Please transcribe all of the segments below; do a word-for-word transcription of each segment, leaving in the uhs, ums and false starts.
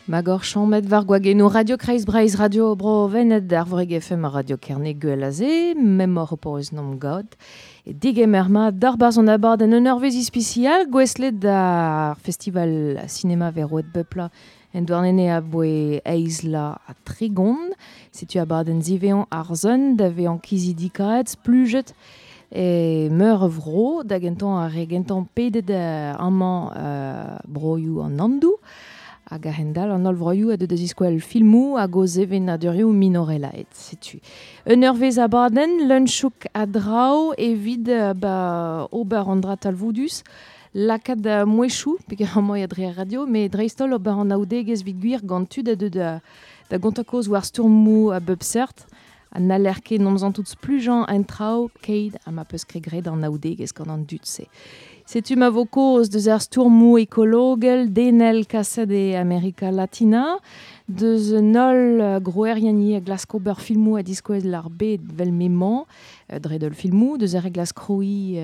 Magor chammet war gwageno Radio Kreiz Breiz Radio Bro Vened ar Voreg F M Radio Kerne Gwelaze, memor opoz nom god. E digemer ma d'ar barz an abad en un eurvez ispicial, gweslet d'ar festival cinéma veroet bepla en douarnene a boe eizla a trigon. Setu abad en zivean ar zon, da vean kizidikaet, splujet, e meur vro, da gentan ar regentan pedet amañ euh, broioù an Andou. Hag a hendal an holl vroioù a deus iskoel filmoù hag o zevenadurioù minorelaet, setu. Un eurvez abadenn, leun-chouk a draoù evit ba, ober an dra talvoudus, lakaat mouezhioù, peogwir amañ dre ar radio, met dreist-holl ober an aoudegezh evit gwir gant tud a deus da, da gontañ kaoz war stourmoù a bep seurt, ha n'haller ket nomzan tout splujañ en traoù keit ha ma peus ket graet an aoudegezh gant an dud-se. Setu ma vo kaoz deus ar stourmoù ekologel, denel kaset e Amerika Latina, deus un holl groerien a glask ober filmoù a diskouez l'ar bed vel m'emañ, dre deul filmoù, deus ar re glask kroi,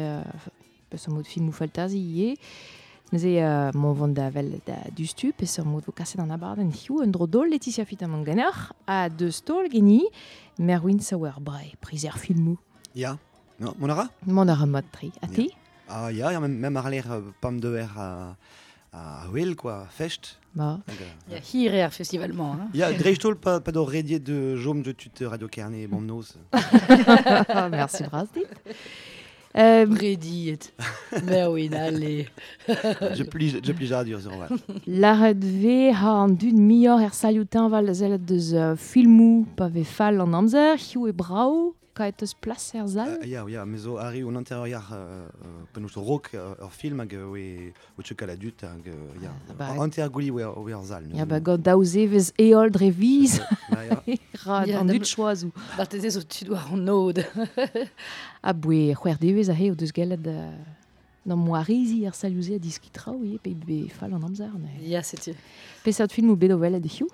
peus ar mod filmoù faltazi ivez. Neuze euh, mon vont da vel da dustu, peus ar mod vo kaset an abadenn hiziv, un dro dol Laetitia Fitamant ganeoc'h, ha deus taol geni, Merwin Sauerbrey, prizer filmoù. Ya, no, mon ara? Mon ara mod tri. A ti? Ah ya, ya, même, même ar l'air euh, pam de er a, a wel, quoi, fest. Ba. Hag, euh, Ya, hir eo ar festival-mañ, hein. Ya, dreist-holl pa, pa d'o rediet de jom de tut Radio Kerne, bon noz. Merci bras dit. Euh, Rediet. Merwin, allez. Je plie, je plie dur, sur vrai. Laret ve ha an dud mior er salutin val zellet deus uh, filmoù pa ve fall an amzer, hiu e brao, kaet eus plas er zal? Uh, ya, ya, me zo arri un anterior euh, euh, penaos rok ur euh, film hag oe o tchekal a dut hag euh, ya. Ah, ba, Anter gouli oe oe ar zal. Ya, ba gant daou zevez eol dre viz. Ba, ya. Ra Ya, an da dud choazou. Marteze zo tud war an nod. A boe c'hwec'h devez ahe o deus gellet euh, n'am moarizi ar salioù-se a diskitraoù ivez, pe be fall an amzer. Ne. Ya, setu. Peseurt film ou bet o welet hiziv?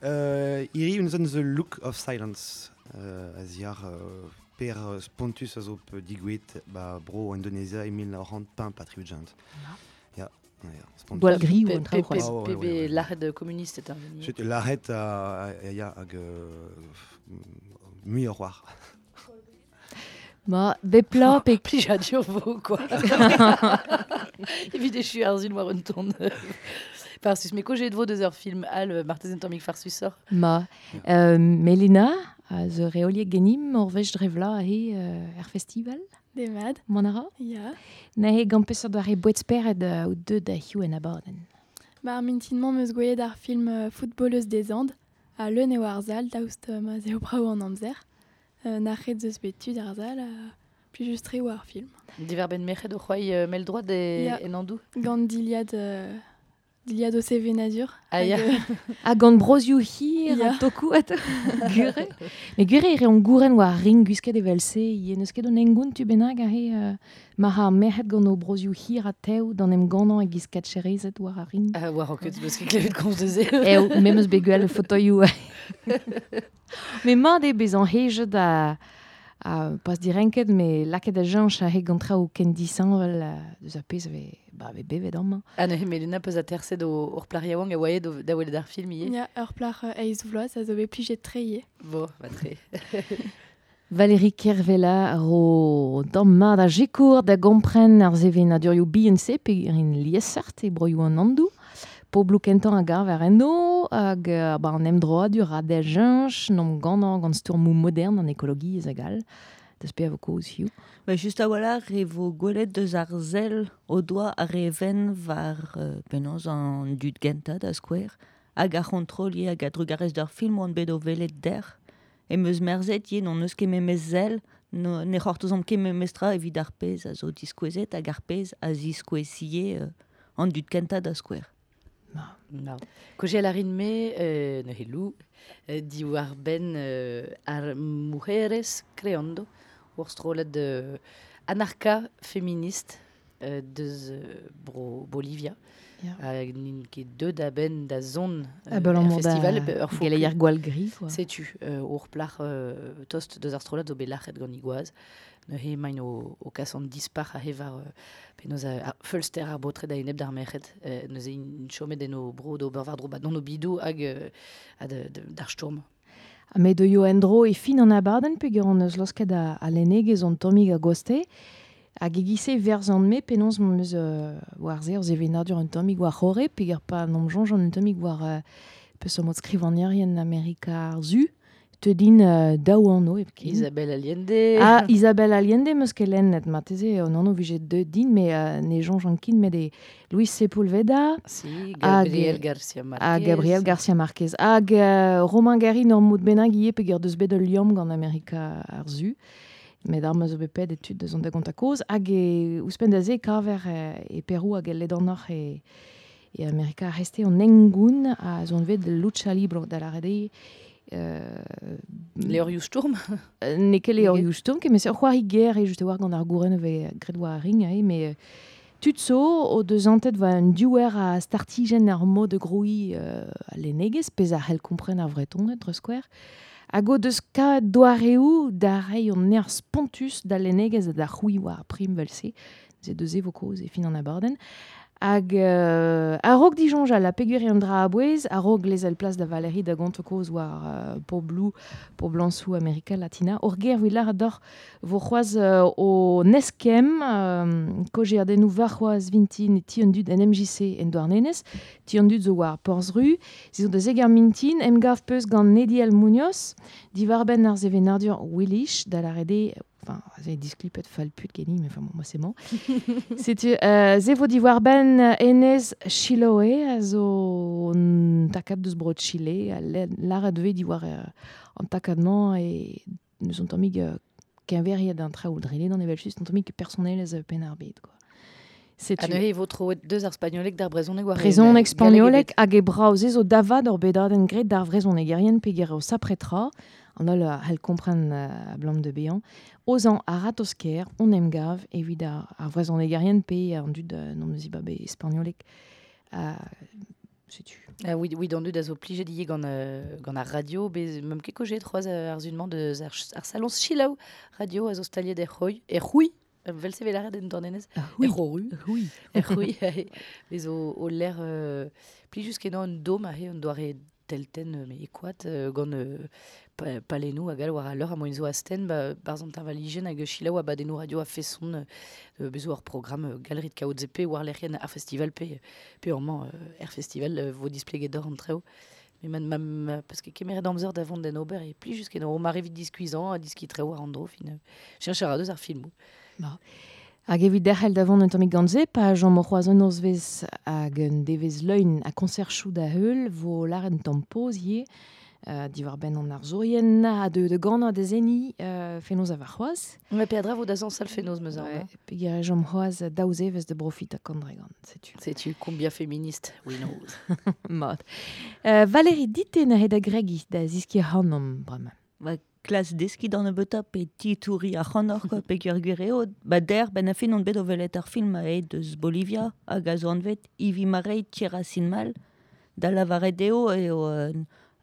Euh, iri un zon The Look of Silence. Euh, a ziar euh, per spontus a zo pe digouet ba bro Indonezia e mil nav c'hant pemp ha tri-ugent. Ya, ya, spontus. Gwall griou Pe- an traoù pe- c'hoazh. Ah, ouais, pe- ouais, ouais. l'arrêt communiste est intervenu. Setu l'arrêt a, a, ya, hag euh, muioc'h war. Ma, bepla pe Plijadur vo, quoi. Evit echu ar zun war un ton. Farsus, mais ko jet vo deus ur film al martezen tammig farsusoc'h. Ma, euh, Melina, a zo reoliek genim, ur wech drevla he euh, er festival. Demad. Mon ara? Ya. Nahe gant peseurt doare bouet spered euh, ou deud da hiziv en abadenn. Ba, ar mintin-mañ meus gwelet ar film euh, Footballeuse des Andes, a leun eo ar zal, daoust euh, ma zeo brao an amzer. Euh, nac'het zeus bet tud ar zal, a pli just tre oa ar film. Diver ben merc'hed o c'hoai euh, mel droit e, Ya. en andou. Gant diliad, euh, diliad o sevenadur. Ah, ya. Hag, euh, Ha gant brozioù hir Ya. ha tokou at gure. Me gure e reont gouren war ring gwisket evel-se, ivez n'eus ket un engoun tu bennak a re euh, mar ar merc'hed gant o brozioù hir ha tev d'an em gannañ e giz katcherezed war ar ring. Ah, war ket, peus ket klevet komz deus e. Eo, me meus bet gwell fotoioù. Me mat eo bezañ hejet a, a pas direnket, me lakaet a jañch a he gant traoù ken disheñvel deus ar pezh ve, ba, ve bevet amañ. Ah, neuze, Melina peus aterset o ur plac'h yaouank a oaet o da welet ar film ivez. Ya, ur plac'h euh, eizh vloaz a zo bet plijet tre ivez. Bo, ba tre. Valérie Kervella ro damm mat a jekour da gompren ar sevenadurioù bihan-se pe rin liesseurt e broioù an Andou. Pobloù kentañ a gav ar enno, hag euh, ba an emdroadur a da jañch, n'om gannañ gant stourmoù modern an ekologiezh hag all. Deus pe a vo kaoz hiziv. Ba, just a-walc'h e vo gwelet deus ar sell o doa ar re ven war euh, penaos an dud gentañ da skouer, hag ar c'hontrol ivez hag a drugarez d'ur film oan bet o welet der. E meus merzet ivez n'on eus ket memes sell, no, ne c'hortozomp ket memes tra evit ar pezh a zo diskouezet hag ar pezh a ziskouezie euh, an dud kentañ da skouer. No. Koje a rin me, euh, neuze lou, euh, diwar ben euh, ar mujeres creando, ur strollad euh, anarka féministe euh, deus euh, bro Bolivia. Hag n'int ket deut a-benn da zon euh, er festival ur geleier gwall gri quoi. Setu euh, ur plac'h euh, tost deus ar strollad zo bet lac'het gant igoaz. Neuze emaint o, o kas an dispar a war euh, penaos a, a feulster ar baotred a-enep d'ar merc'hed. Euh, neuze int chomet en o bro d'ober war-dro ba d'an o bidou hag euh, ha d'ar stourm. Ha me deuio en-dro e fin an abadenn peogwir hon eus losket a, a lennegezh an tammig a goste. Hag egise verzan me penaos m'am eus euh, war se ur sevenadur un tammig war c'horre, peogwir pa n'am soñj an un tammig war euh, peseurt mod skrivagnerien Amerika ar Su, te din euh, daou anv hepken. Isabel Allende. Ah, Isabel Allende meus ket lennet, marteze an anv vije deut din, mais euh, ne soñj an kin, met e Luis Sepulveda. Si, Gabriel Garcia Marquez. Ha Gabriel Garcia Marquez. Hag euh, Romain Gary n'ur mod bennak ivez peogwir deus bet ul liamm gant Amerika ar Su. Met ar meus zo bet pet e tud deus an da gont a koz. Hag e ouzhpenn da se kaver e Perou hag el ledanoc'h e, e Amerika ar reste an engoun a zon vet lucha libre da lâret eo. Euh, Levrioù stourm. N'eo ket levrioù stourm, ket, met ur c'hoari ger eo just e war gant ar gouren vez graet war ar ring, eh, met tud zo o deus antet war un diouer a startijenn ar mod de grouiñ euh, a lennegezh, pezh a c'hell kompren ar Vretoned, dre skouer. Hag o deus kavet doareoù da reiñ an nerzh spontus da lennegezh ha da c'hwi war ar prim vel-se. Se deus e vo kaoz e fin an abadenn. Hag euh, a-raok disoñjal ha peogwir eo an dra a-bouez, a-raok lezel plas da Valérie da gont kaoz war euh, poblou, poblañsoù Amerika Latina. Ur ger evit lâret deoc'h vo c'hoazh euh, o neskemm euh, kaozeadennoù warc'hoazh vintin e ti an dud en M J C en Douarnenez, ti an dud zo war Porzh-Ru, se zo da zeger mintin, emgav peus gant Nediel Munoz, diwar-benn ar sevenadur Willich, da lâret eo, enfin, c'est disklipet fall put geni, mais enfin, bon, moi c'est bon. Setu, euh, se vo diwar-benn enez Chiloé, a zo un takad deus bro Chile, a lâret vez diwar euh, an takad-mañ e neus an tammig euh, keñveriet an traoù dre d'an evel just, an tammig personnelezh penn ar bed, quoi. Setu. Ha neuze e vo troet deus ar spagnolek d'ar brezhoneg war Brezhoneg, spagnolek hag e brav se zo davad ur bedadenn graet d'ar vrezhonegerien peogwir eo sapretra, an holl a c'hell kompren uh, ablam de bezañ. Ozañ a ratozh-kaer, on emgav evit ar, ar vrezhonegerien pe an dud uh, n'on eus iba bet spagnolek. Uh, setu. Ah oui, oui, d'an dud a zo plijet ivez gant, euh, gant ar radio, bez meum ket kojet c'hoazh ar zun-mañ deus ar, ar salon Chilaou radio a zo staliet er c'houi, er c'houi, vel se vel lâret en Douarnenez. Ah, oui. Er c'horu. Oui. Er c'houi, bez o, o l'air euh, plijus kenañ un dom aze un doare teltenn, mais e koad, euh, gant euh, pa, palennoù hag all war al leur a moen zo astenn, ba, barzh an teñvalijenn hag Chilaou abadennoù radio a feson, euh, bezo ur programm euh, galerie de kaout zepe war lec'hienn ar festival pe, pe amañ euh, er festival euh, vo displeget d'or an treo. Mais ma, ma, ma, parce que kemeret amzer da vont d'en ober e plijus kenañ o mare evit diskuizhañ ha diski treo war an dro fin, euh, cheñch a ra deus ar filmoù. Ba. Hag evit derc'hel da vont un tammig gant se, pa Jean Morc'hoaz un nozvezh hag un devezh leun a konserchoù da heul vo lâret un tamm poz ivez, euh, diwar-benn an arzourien ha de, de ganañ da zeni, euh, fenoz a warc'hoazh. Ma peadra vo da zañsal fenoz meus ar, Ouais, hein. peogwir Jean Morc'hoaz daou zevezh de profit a kandregant, setu. Setu, combien féministe, we knows. Mat. Euh, Valérie, dit-te neuze da gregi da ziskiñ ac'hanomp bremañ. Ba, klas deskiñ d'an nebeutañ pe titouri ac'hanoc'h, quoi, peogwir gwir eo, ba der, ben a fin on bet o welet ar film a eo deus Bolivia, hag a zo anvet Ivi Marei Tierra Sin Mal, da lavaret eo eo euh,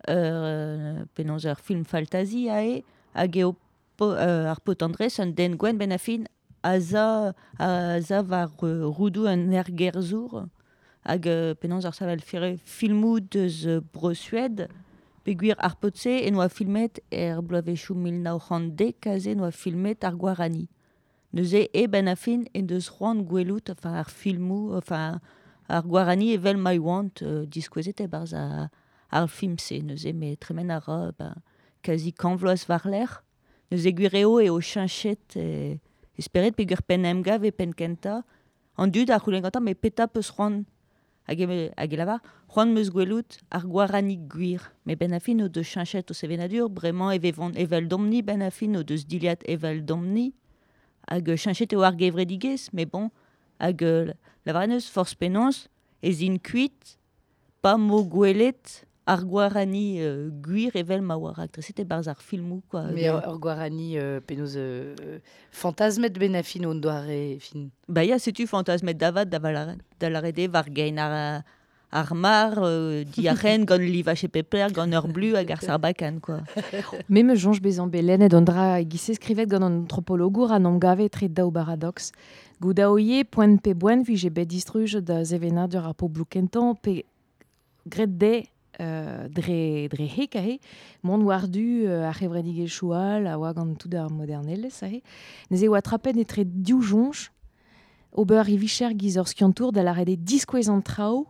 euh, penaos ur film faltazi a eo, hag eo po, euh, ar paotr Andrés, un den gwenn ben a fin a za, a za war, euh, roudoù un ergerzhour, hag, euh, penaos ar savel fere filmoù deus, euh, Bro-Suède, peogwir ar paotr-se en oa filmet er bloavezhioù mil nav c'hant dek aze en oa filmet ar Guarani. Neuze e ben a fin en deus c'hoant gwelout, enfin ar filmoù, enfin ar Guarani evel ma oant, euh, diskouezet e-barzh ar, ar film-se. Neuze me tremen a ra, ben, kazi kant vloaz war-lerc'h. Neuze gwir eo eo cheñchet e, esperet peogwir penn emgav e penn kentañ. An dud a c'houlenn gantañ, met petra peus c'hoant hag e, hag e lavar, c'hoant meus gwelout ar Guarani gwir. Met ben a fin o deus cheñchet o sevenadur, bremañ e vevont evel domni, ben a fin o deus diliad evel domni. Hag cheñchet eo ar gevredigezh, mais bon, hag, euh, lavaret neus forzh penaos ez int kuit, pa mo gwelet ar guarani euh, gwir evel ma oa raktreset e barz ar filmou, quoi. Mais ur, ur guarani euh, penaos euh, fantasmet ben a fin on doare fin. Ba ya, setu fantasmet davat da da var gein ar, ar mar, euh, diarren gant livache pepler, gant ur blu hag ar sarbakan, quoi. Me me jonge bezan belen et ondra gise skrivet gant an antropologour an omgave tre daou paradox. Goudaoye, poent pe boen, vije bet distruj da zevenadur ar poblou kentan, pe gret de Euh, dre, dre hek ahe, mont war du euh, ar c'hevredigezh choual a oa gant tout ar modernelezh ahe. Neuze oa trapet etre div jonj, ober e vicher giz ur skiantour da lâret eo diskouez an traoù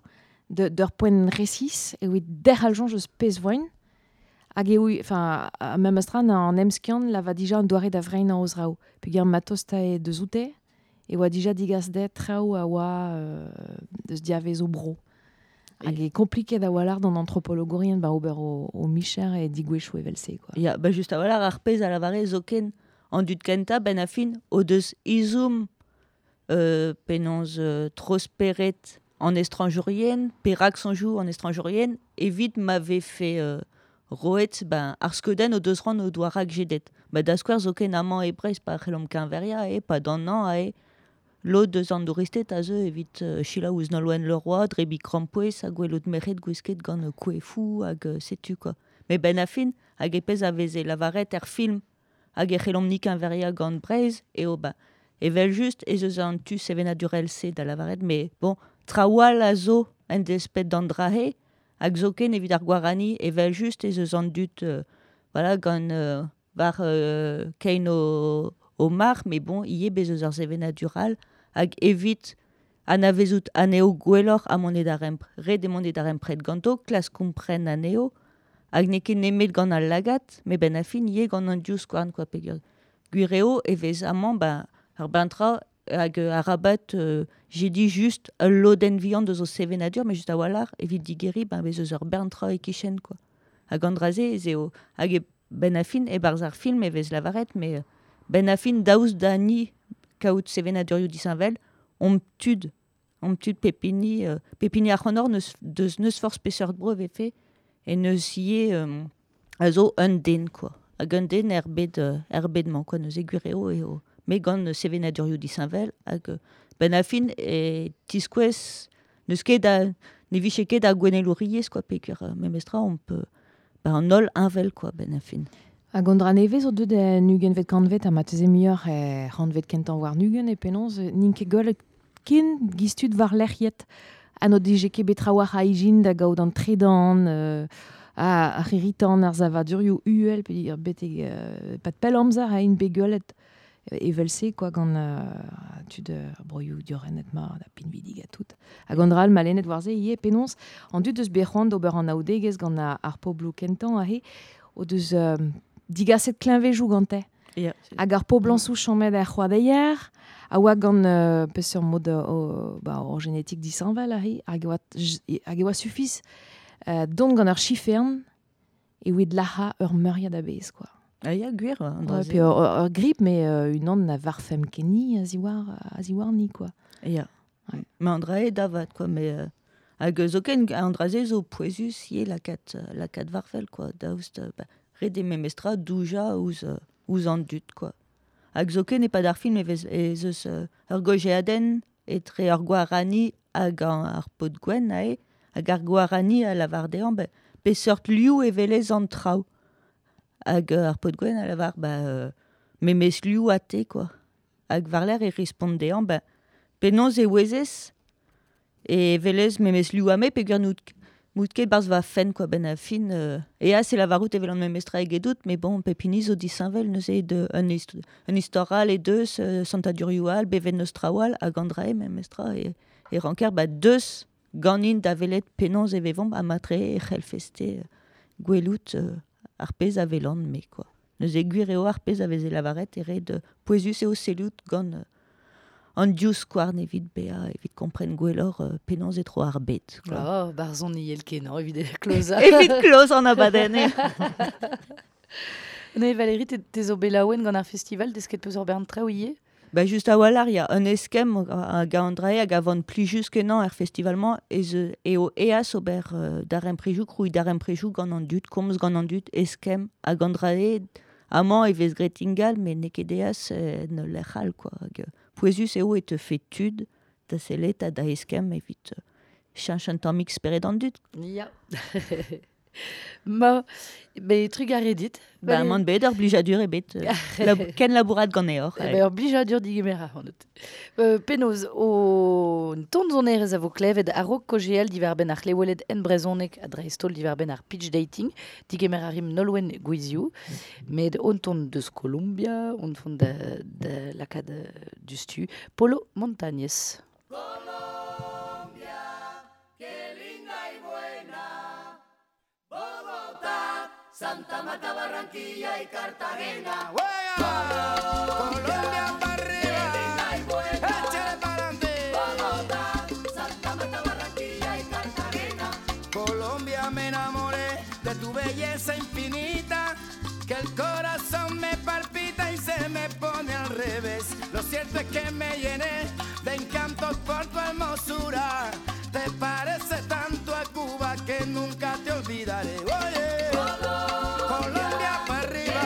de, d'ur poent resis, e oe derc'hal jonj eus pezh voen, hag eo, enfin, a mem astran an emskiant la va dija an doare da vrein an ozraoù. Peogwir matos ta e deus oute, e oa dija digas de traoù a oa euh, deus diavez o bro. Hag e kompliket da wallar d'an antropologourien ba ober o, o micher e digwechou evel-se, quoi. Ya, ba just a wallar ar pezh a lavare zoken an dud kenta ben a fin o deus izoum euh, penaos euh, trosperet en estranjourien, perak sonjou en estranjourien, evit m'ave fait euh, roet ben ar skeuden o deus ran o doa rak jedet. Ba da skouer zoken amañ e Brest pa c'hellomp keñveria e pa d'an an ae Lod deus an douristed a zeu evit uh, selaou ouzh Nolwenn Leroy, drebi krampouezh ha gwelout merc'hed gwisket gant koefoù hag uh, setu quoi. Me ben a fin, hag e pezh a veze lavaret er film hag e c'hellomp ni keñveria gant Breizh eo ba evel just ez eus an tu sevenadurel se da lavaret, mais bon, trawal a zo en despet d'an drahe, hag zoken evit ar guarani evel just ez eus an dut euh, voilà, gant euh, war euh, kein o, o mar, mais bon, ie bez eus ar sevenadural hag evit anavezout anezho gwelloc'h ha mont da rempr. Ret eo mont da rempret ganto, klas kompren anezho, hag n'eo ket nemet gant al lagad, met ben a fin ivez gant an divskouarn, quoi, peogwir. Gwir eo e vez amañ, ba, ar bentra hag arabat euh, j'ai dit juste ul lodenn vihan deus o sevenadur, mais just a-walc'h evit digeriñ, ben bez eus ur bern-tra e-kichen, quoi. Hag an dra-se ez eo, hag e ben a fin, e-barzh ar film e vez lavaret, mais ben a fin daoust da ni kaout sevenadurioù disheñvel, omp tud, omp tud pepini, euh, pepini ar c'honor neus, deus neus forzh peseurt bro vefe, e neus ivez euh, a zo un den, quoi. Hag un den er bed, euh, er bed-mañ, quoi, neuze gwir eo eo. Me gant sevenadurioù disheñvel, hag ben a fin e tiskouez neus ket a, ne vije ket a gouennelouriezh, quoi, peogwir euh, memestra omp euh, ba an holl heñvel, quoi, ben a fin. Hag an dra nevez zo deuet en ugentvet kantvet ha ma teze muioc'h e c'hantvet kentañ war nugen e penaos n'int ket gwelet ken giztud war lec'hiet. Ha n'o dije ket bet trawalc'h a ijin da gaout an tredan, euh, a, ar c'hirritan, ar savadurioù uhel, pe betek euh, pat pell amzer a int bet gwelet evel-se, quoi, gant euh, tud euh, broioù diorrenet ma, da pinvidig ha tout. Hag an dra all ma lennet war se ivez penaos an dud eus bet c'hoant d'ober an aoudegezh gant ar pobloù kentañ aze o deus euh, digaset kleñvejoù gante. Yeah. Hag ar poblañsoù chomet er c'hoadeier, a oa gant euh, peseurt mod euh, ba, ur genetik disheñvel aze, hag e oa, hag e oa sufiz euh, dont gant ur chifern e oa lac'ha ur meuriad a-bezh, quoi. Ah ya, gwir, an Ouais, puis ur, ur grip, mais euh, unan na varfemp ket ni a ziwar, a ziwar ni, quoi. Ya. Ouais. Mais an dra eo davat, quoi, mais euh, hag zoken an dra-se zo pouezus ivez lakaat, lakaat varfel, quoi, daoust, ba, ret eo memestra doujañ ouzh, ouzh an dud, quoi. Hag zoken e-pad ar film e vez ez eus euh, ur gojeadenn etre ur guarani hag an, ar paotr gwenn aze, hag ar guarani a lavar dezhañ, ba, peseurt liv e welez an traoù. Hag euh, ar paotr gwenn a lavar, ba, euh, memes liv ha te, quoi. Hag war-lerc'h e respont dezhañ, ba, penaos e ouezez e welez memes liv ha me peogwir n'out Mout ket barzh va fenn, quoi, ben a fin. Euh, e a, c'est lavarout evel an memestra egedout, mais bon, pepini zo disheñvel neuze de un, hist un istor all e deus, euh, santadurioù all, beven neus traoù all, hag an dra eo memestra, e, e ranker, ba, deus ganin da welet penaos e vevomp ha matre e c'hellfeste euh, gwelout euh, ar pezh a welan me, quoi. Neuze gwir eo ar pezh a veze lavaret e ret pouezus eo sellout gant euh, an divskouarn evit bezañ, evit kompren gwelloc'h euh, penaos e tro ar bed, quoi. Oh, barzhon iel kenañ evit klozañ. Evit kloz an abadenn. Ne, Valérie, te, te zo bet laouen gant ar festival, desket peus ur bern traoù ivez? Ba just a-walc'h, ya, un eskemm hag an drae hag a van plijus kenañ er festival-mañ ez eo eas ober uh, daremprejoù, krouiñ daremprejoù gant an dud, komz gant an dud, eskemm hag an drae amañ e vez graet ingal, met n'eo ket eas en ul lec'h all, quoi. Hag pouezus eo e teufe tud da sellet ha da eskemm evit cheñch un tammig spered an dud. Ya. Ma, be trugarez dit. Ba, man bet ur blijadur ebet. Lab, ken labourat ganeoc'h. Eh ben, ur blijadur digemer ac'hanout. Euh, penaos, o ton zonerez a vo klevet a-raok kojeal diwar-benn ar c'hleweled en brezhoneg ha dreist-holl diwar-benn ar pitch dating, digemer a rim Nolwenn Gwizioù, met on ton deus Columbia, on font da, da lakaat dustu, Polo Montañez. Santa Marta, Barranquilla y Cartagena. ¡Juega! Colombia pa' arriba, échale pa'lante. Bogotá, Santa Marta, Barranquilla y Cartagena. Colombia, me enamoré de tu belleza infinita, que el corazón me palpita y se me pone al revés. Lo cierto es que me llené de encantos por tu hermosura. Te parece tanto a Cuba que nunca te olvidaré. Oye, Colombia pa' arriba,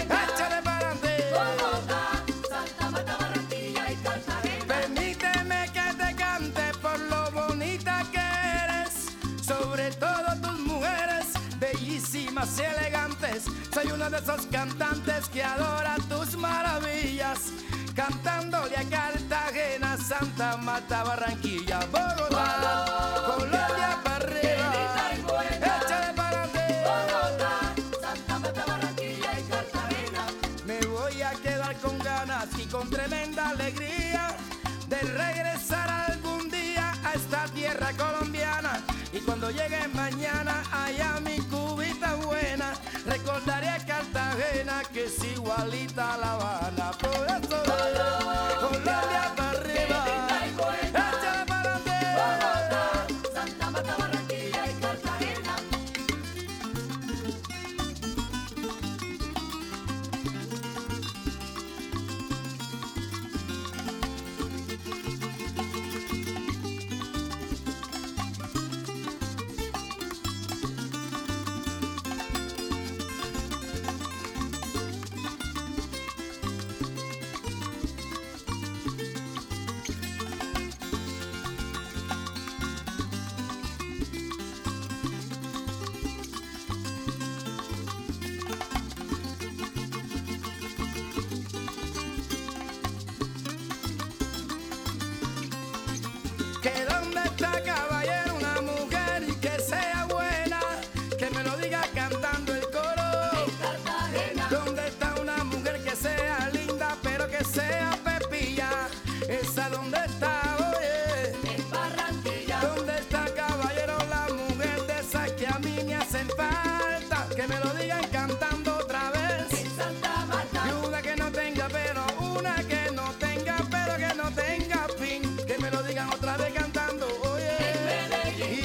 échale pa'lante. Bogotá, Santa Marta, Barranquilla y Cartagena. Permíteme que te cante por lo bonita que eres, sobre todo tus mujeres, bellísimas y elegantes. Soy uno de esos cantantes que adora tus maravillas, cantándole a Cartagena, Santa Marta, Barranquilla, Bogotá, Colombia pa' arriba, échale pa'lante. Bogotá, Santa Marta, Barranquilla y Cartagena. Me voy a quedar con ganas y con tremenda alegría de regresar algún día a esta tierra colombiana. Y cuando llegue mañana allá mi cubita buena, recordaré a Cartagena que es igualita a La Habana. Por eso, Colombia pa' arriba, échale pa'lante. Bogotá, Santa Marta, Barranquilla y Cartagena. Que dónde está, caballero, una mujer y que sea buena, que me lo diga cantando el coro. En Cartagena. ¿Dónde está una mujer que sea linda, pero que sea pepilla? ¿Esa dónde está, oye? En Barranquilla. ¿Dónde está, caballero, la mujer de esas que a mí me hacen falta? Que me lo digan cantando otra vez. En Santa Marta. Y una que no tenga pero, una que no tenga pero, que no tenga fin. Que me lo digan otra vez cantando, oye.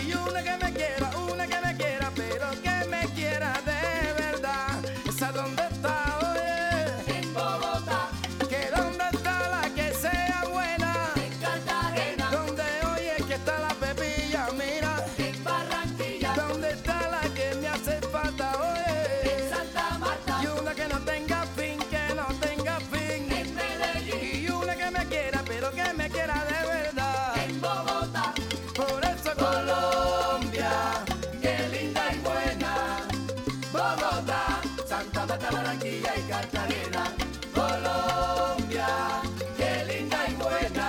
Y una que me quiera, una que me quiera, pero que me quiera de verdad. ¿Esa dónde está, oye? En Bogotá. Que dónde está la que sea buena? En Cartagena. ¿Dónde, oye, que está la pepilla, mira? En Barranquilla. ¿Dónde está la que me hace falta, oye? En Santa Marta. Y una que no tenga fin, que no tenga fin. En Medellín. Y una que me quiera, pero que me quiera de verdad. En Bogotá. Por eso Colombia, qué linda y buena. Bogotá, Santa Marta, Barranquilla y Cartagena. Colombia, qué linda y buena.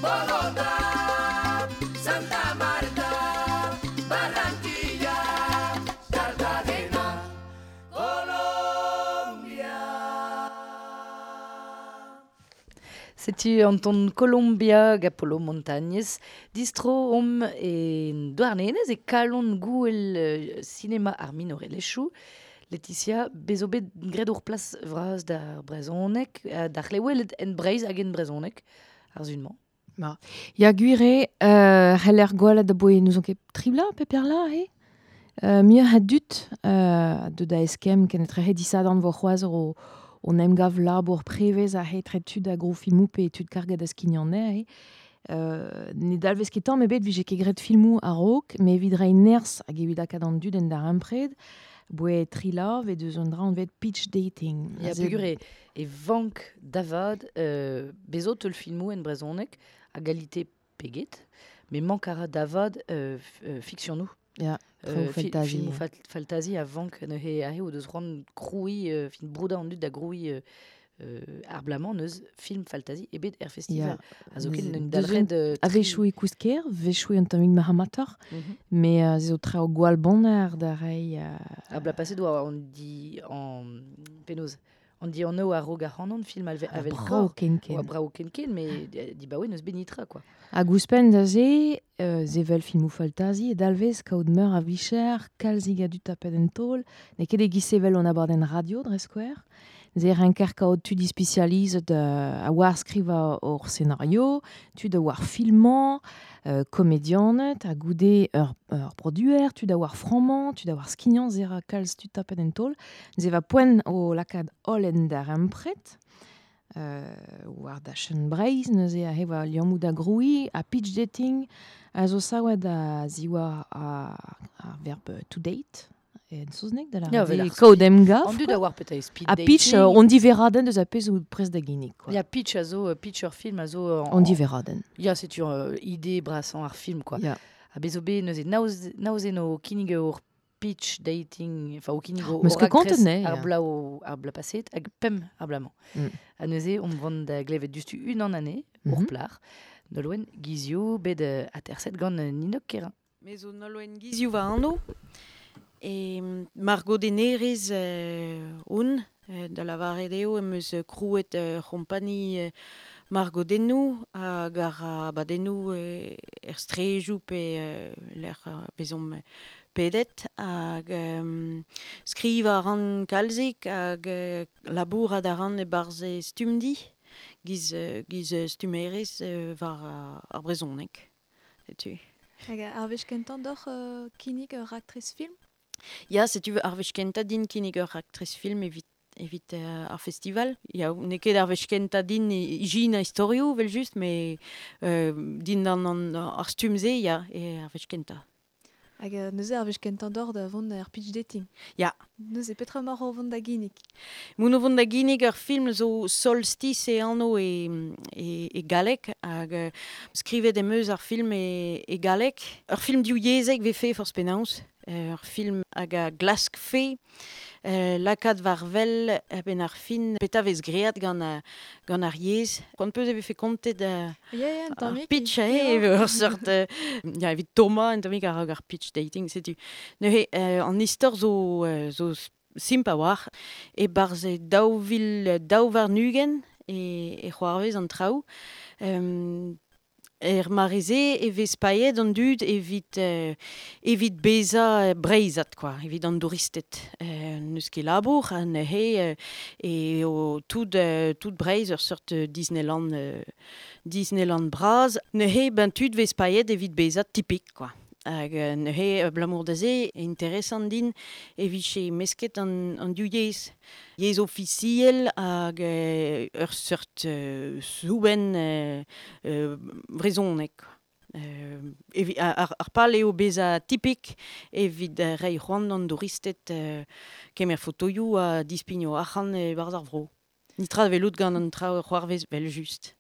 Bogotá, Santa Marta, Barranquilla, Cartagena. Colombia. Setu an ton Colombia gant Polo Montañez, distro om e Douarnenez e kalon gouel euh, sinema ar minorelezhioù. Laetitia, bezo bet graet ur plas vras d'ar brezhoneg, euh, d'ar c'hleweled en Breizh hag en brezhoneg, ar zun-mañ. Ma. Ya gwir eo, euh, c'heller gwelet da boe n'ouzon ket tribla, pe perla, he? Euh, mieux ha dut, euh, deut da eskemm ken etrehe disadan vo c'hoazh o, on emgav labour prevez a hetre tud a gro filmou pe tud karget a skignanne eh. Euh, ne dalvez ket tamm ebet vije ket graet filmoù a-raok, met evit reiñ nerzh hag evit lakaat an dud en darempred, boe trila ve deus un dra anvet pitch dating. Ya, peogwir e, e vank davad euh, bezo teul filmoù en brezhoneg a galite peget, met mank a ra davad euh, euh, fiksionoù. Ya, euh, fi fantasy. Filmoù fal fantasy a vank neuze aze o deus c'hoant krouiñ, euh, fin broudañ an dud da grouiñ euh, Euh, ar blamañ neus film fantasy ebet er festival. Ya. A zo ket un dalc'hed... Euh, a vechoù e kousker, vechoù un tammig maramator, mm -hmm. mais euh, zo traoù gwall bonner da reiñ... Euh... A bla paset oa on di an penaos. On di an a rog ar c'hanon film alve, avel brao ken ken. Oa brao ken ken, mais di baoe neus benitra, quoi. Ha gouspenn da ze, euh, zevel filmoù fantasy e dalvez kaout meur a vicher, kalzig a dud tapet en taol, n'eo ket e giz sevel on abadenn radio dre skouer. Ze renker kaout tud ispecializet euh, a war skriva ur scenario, tud a war filmañ, euh, komedianet, a goude ur, ur produer, tud a war frammañ, tud a war skignañ, ze ra kalz tud tapet en taol. Ze va poent o lakaat holl en darempred, euh, war dachenn Breizh, neuze a he war liammoù da grouiñ, a pitch dating, a zo savet a ziwar a, a verb to date. En saozneg da la ja, kaout emgav. An dud a war petra speed a dating. Pitch, uh, on diveradenn deus a pezh out prest da ginnig. Quoi. Ya, pitch a zo, pitch ur film a zo... Uh, on diveradenn. Ya, setu uh, ide brasañ ar film, quoi. Ya. A bezo be neuze naoz, naoz eno kinnig ur pitch dating, enfin o kinnig ur raktres ar bla o, ar bla paset, hag pemp ar blamañ. Mm. A neuze, on vont da glevet dustu unan ane, mm -hmm. ur plar, Nolwenn Gizio, bet uh, aterset gant uh, Ninok Kerin. Me zo Nolwenn Gizio va anv. E margodennerez euh, on, euh, da lavaret eo em eus krouet euh, c'hompani euh, margodennoù hag ar abadennoù euh, er strejoù pe euh, lec'h euh, bezomp pedet hag euh, skriv a ran kalzik hag euh, labourat a ran e-barzh e stumdi giz, giz stummerez euh, war ar brezhoneg. Setu. Hag ar wech kentañ doc'h euh, kinnig ur raktres film? Ya, setu ar wech kentañ din kinnig ur raktres film evit, evit uh, ar festival. Ya, n'eo ket ar wech kentañ din ijin a istorioù, vel just, met euh, din an, an ar stumm-se, ya, e ar wech kentañ. Hag euh, neuze ar wech kentañ doc'h da vont er pitch dating. Ya. Neuze petra mar o vont da ginnig? Moun o vont da ginnig ur film zo Solstice e anv e, e, e galleg, hag uh, skrivet em eus ar film e, e galleg. Ur film divyezhek vefe forzh penaos. Ur film hag a glask fe, euh, lakaat war wel ben ar fin petra vez great gant, a, gant ar yezh. C'hoant peus e vefe kontet uh, yeah, yeah, ar pitch, eh, ur seurt, euh, ya, evit Thomas, un tammig ar, ar pitch dating, setu. Neuze, euh, an istor zo, euh, zo simp a war, e barzh e daou vil daou warn-ugent e, e c'hoarvez an traoù. Um, Er mareze e vez paeet an dud evit, euh, evit bezañ breizhat, quoi, evit an douristed. Euh, n'eus ket labour, ha neuze euh, e o tout, euh, tout Breizh ur seurt Disneyland, euh, Disneyland bras. Neuze ben tud vez paeet evit bezañ tipik, quoi. Hag neuze abalamour da se, interesant din e vije mesket an, an div yezh. Yezh ofisiel hag ur seurt euh, soubenn euh, euh, brezhoneg. Euh, evi, ar, ar pal eo bezañ tipik evit reiñ c'hoant d'an douristed euh, kemer fotoioù ha dispigno arc'hant e-barzh ar vro. Nitra velout gant an traoù c'hoarvez vel just.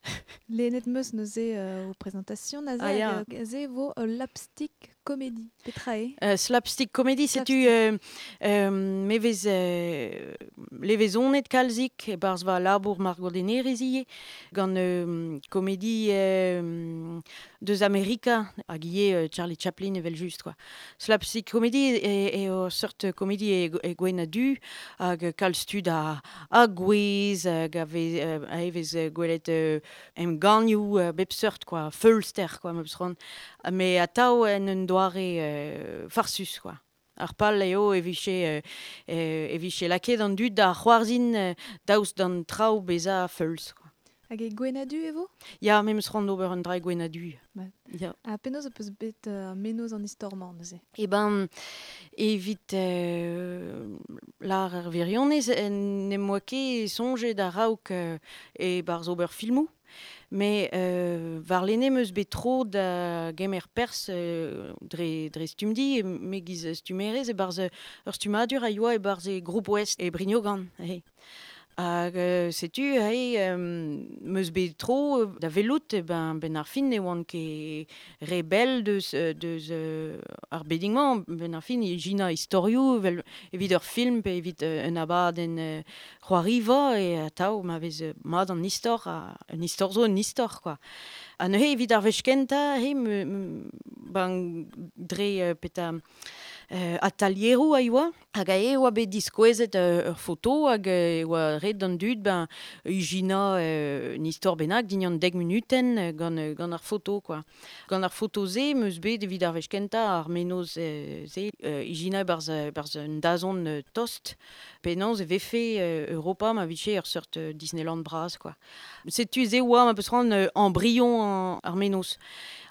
Lennet meus neuze euh, o présentation aze Ah, ya. hag aze vo uh, slapstick comedy. Petra eo? Euh, slapstick comedy, setu euh, euh, me vez euh, levezonet kalzik e-barzh va labour margodennerez ivez gant euh, komedi euh, deus Amerika hag ivez euh, Charlie Chaplin evel just, quoi. Slapstick comedy e, e ur seurt komedi e, e gwenn ha du hag kalz tud a, a gwez hag a vez, euh, a vez gwelet euh, emgannioù euh, bep seurt, quoi, feulster, quoi, ma peus c'hoant. Mais atav en un doare euh, farsus, quoi. Ar pal eo e vije, euh, e vije lakaet an dud da c'hoarzhin euh, daoust d'an traoù bezañ feulz, quoi. Hag e gwenadu e vo? Ya, me meus c'hoant d'ober un dra e gwenadu. Ba. Ya. Ha penaos peus bet uh, menoz an istor-mañ neuze? E ben, evit euh, lar ar virionez, n'em boa ket soñjet a-raok euh, e barzh ober filmoù. Mais euh, war lene meus bet tro da gemer pers euh, dre, dre stumdi, me giz stumerez e barzh ur stumadur a yoa e barzh e Groupe Ouest e Brignogan. Hey. Hag euh, setu, hey, euh, meus bet tro da velout, e ben, ben ar fin ne oan ket re bell deus, deus euh, ar beding-mañ, ben ar fin e jina istorioù, vel, evit ur film pe evit euh, un abadenn euh, c'hoariva, e atav ma vez mat an istor, a, un istor zo un istor, quoi. Ha neuze evit ar wech kentañ, he, me, me, ben, dre euh, peta... Euh, atelieroù a yoa, hag a e oa bet diskouezet euh, ur foto hag e oa ret d'an dud ben ijina euh, un istor bennak din an dek minuten gant, gant ar foto quoi. Gant ar foto se meus bet evit ar wech kentañ ar menoz euh, se euh, ijina barzh, barzh un dazont euh, tost penaos e vefe euh, Europa ma vije ur seurt euh, Disneyland bras quoi. Setu se oa ma peus ran euh, embryon an, ar menoz.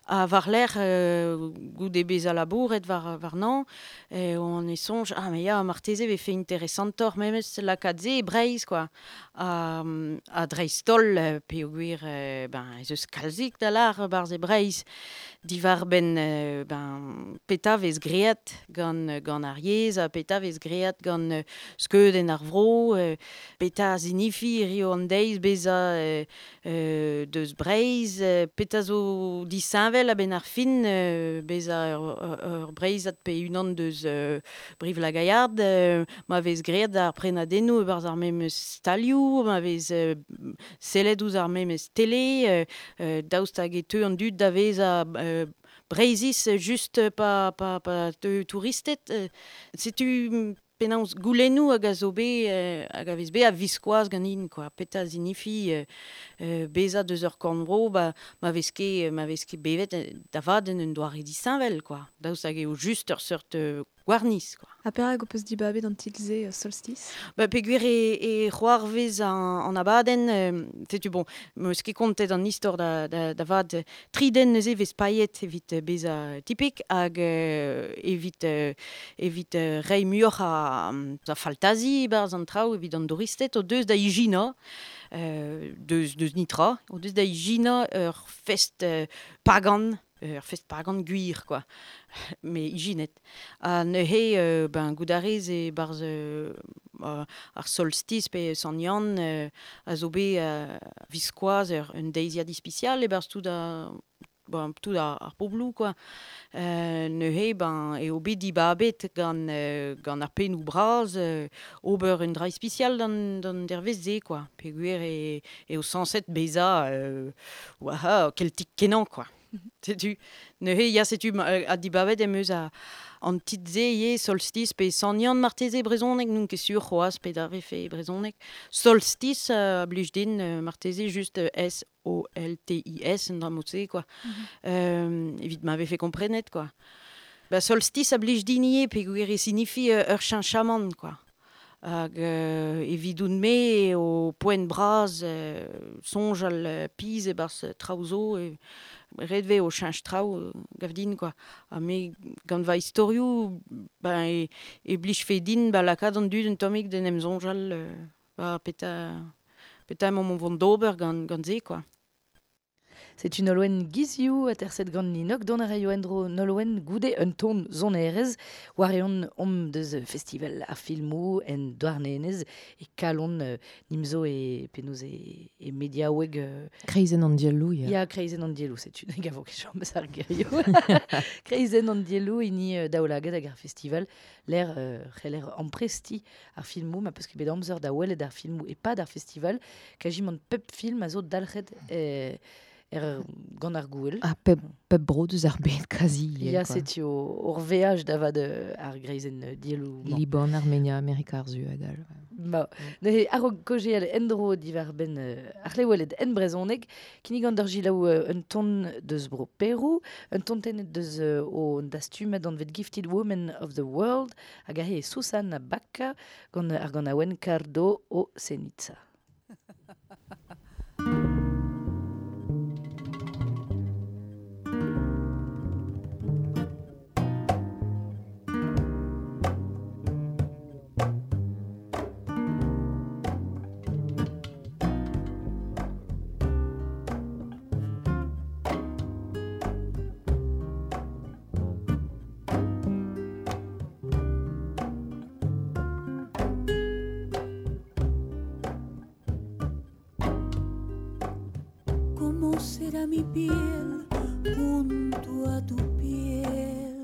A war l'air euh, goude beza labouret war, war nan, eh, on e soñj, ah, mais ya, marteze vefe interesantor memes lakaat se e Breizh, quoi. A, a dreist-holl peogwir, euh, ben, ez eus kalzik da lar barzh e Breizh, diwar ben, euh, ben, peta vez great gant, gant ar yezh, ha peta vez great gant euh, skeudenn ar vro, euh, peta zinifi rio an deiz beza euh, euh, deus Breizh, euh, peta zo disheñvel a ben ar fin euh, beza ur, ur, ur Breizhat pe unan deus euh, Brive-la-Gaillarde, euh, ma vez great ar prenadennoù e barzh ar memes stalioù, ma vez euh, sellet ouzh ar memes tele, euh, euh, daoust hag e teu an dud da veza euh, Breizhiz just pa, pa, pa teu touristed. Euh, setu penaos goulennoù hag a zo bet, euh, hag a vez bet a viskoazh ganin, quoi. Peta zinifi euh, euh, beza deus ur korn-vro, ba, ma vez ket, ma vez ket bevet da vat en un doare disheñvel, quoi. Daoust hag eo just ur seurt euh, gwarniz, quoi. Ha perak ho peus dibabet an titl-se euh, Solstice? Ba, peogwir e, e c'hoarvez an, an abadenn, euh, setu bon, meus ket kontet an istor da, da, da vat tri den neuze vez paeet evit beza tipik hag euh, evit, euh, evit euh, reiñ muioc'h a, a faltazi barzh an traoù evit an douristed o deus da ijina, euh, deus, deus nitra, o deus da ijina ur fest euh, pagan, ur fest pagan gwir, quoi. Me ijinet. Ha neuze, euh, ben, goudarez e barzh euh, ar solstice pe Sant Yann euh, a zo bet euh, viskoazh ur un deiziad ispisial e barzh tout a, ben, tout ar, ar pobloù, quoi. Euh, neuze, ben, eo bet dibabet gant, euh, gant ar pennoù bras euh, ober un dra ispisial d'an, d'an dervez-se, quoi. Peogwir e, eo sañset bezañ euh, ouah, keltik kenañ, quoi. Setu, neuze, ya, setu, a dibabet em eus a, an titl-se ivez, Solstice pe Sant Yann marteze brezhoneg, n'on ket sur c'hoazh pe da vefe brezhoneg. Solstice a blij din marteze just S O L T I S, un dra mod-se, quoi. Mm-hmm. Euh, evit ma vefe komprenet, quoi. Ba, Solstice a blij din ivez peogwir e sinifi ur cheñchamant, quoi. Hag euh, evidoun-me o poent bras euh, soñjal euh, piz e-barzh traoù zo e ret vez o cheñch traoù euh, gav din, quoi. Ha me gant va istorioù ben, e, e blij fe din ba lakaat an dud un tammig d'en em soñjal euh, ba peta, peta emañ mont vont d'ober gant, gant se, quoi. C'est une Nolwenn Guizioù a terset gant Ninok don a raio endro Nolwenn goude un ton zonerez war eon om deus festival ar filmoù en Douarnenez e kalon euh, nimzo e penoz e, e mediaoueg euh, Kreizenn an dielloù, ya. Ya, kreizenn an dielloù, setu gavo ket chom eus ar gerioù. Kreizenn an dielloù hini euh, daoulagad hag ar festival l'air euh, c'heller ampresti ar filmoù ma peus ket bet amzer da welet ar filmoù e pad ar festival kajimant pep film a zo dalc'het eh, er gant ar gouel. Ah, pep, pep bro deus ar bed kazi. Ya, setu ur veaj da vat ar greizenn dielloù. Liban, Armenia, Amerika ar Su hag all. Ma, neuze a-raok kaozeal endro diwar benn ar c'hlewelet en brezhoneg, kinnig an d'ar gilaou un ton deus bro Perou, un ton tennet deus o dastumad anvet Gifted Women of the World, hag ahe Susana Baca gant ar ganaouenn Cardo o Ceniza. Thank será mi piel junto a tu piel?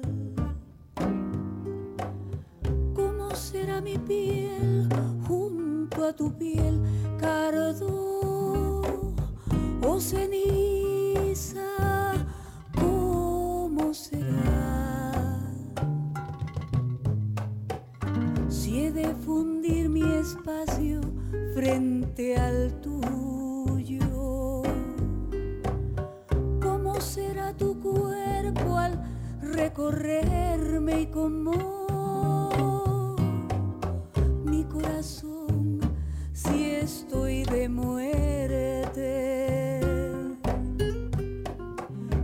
¿Cómo será mi piel junto a tu piel, cardo o ceniza? ¿Cómo será? Si he de fundir mi espacio frente al tuyo, ¿cómo será tu cuerpo al recorrerme y cómo mi corazón si estoy de muerte?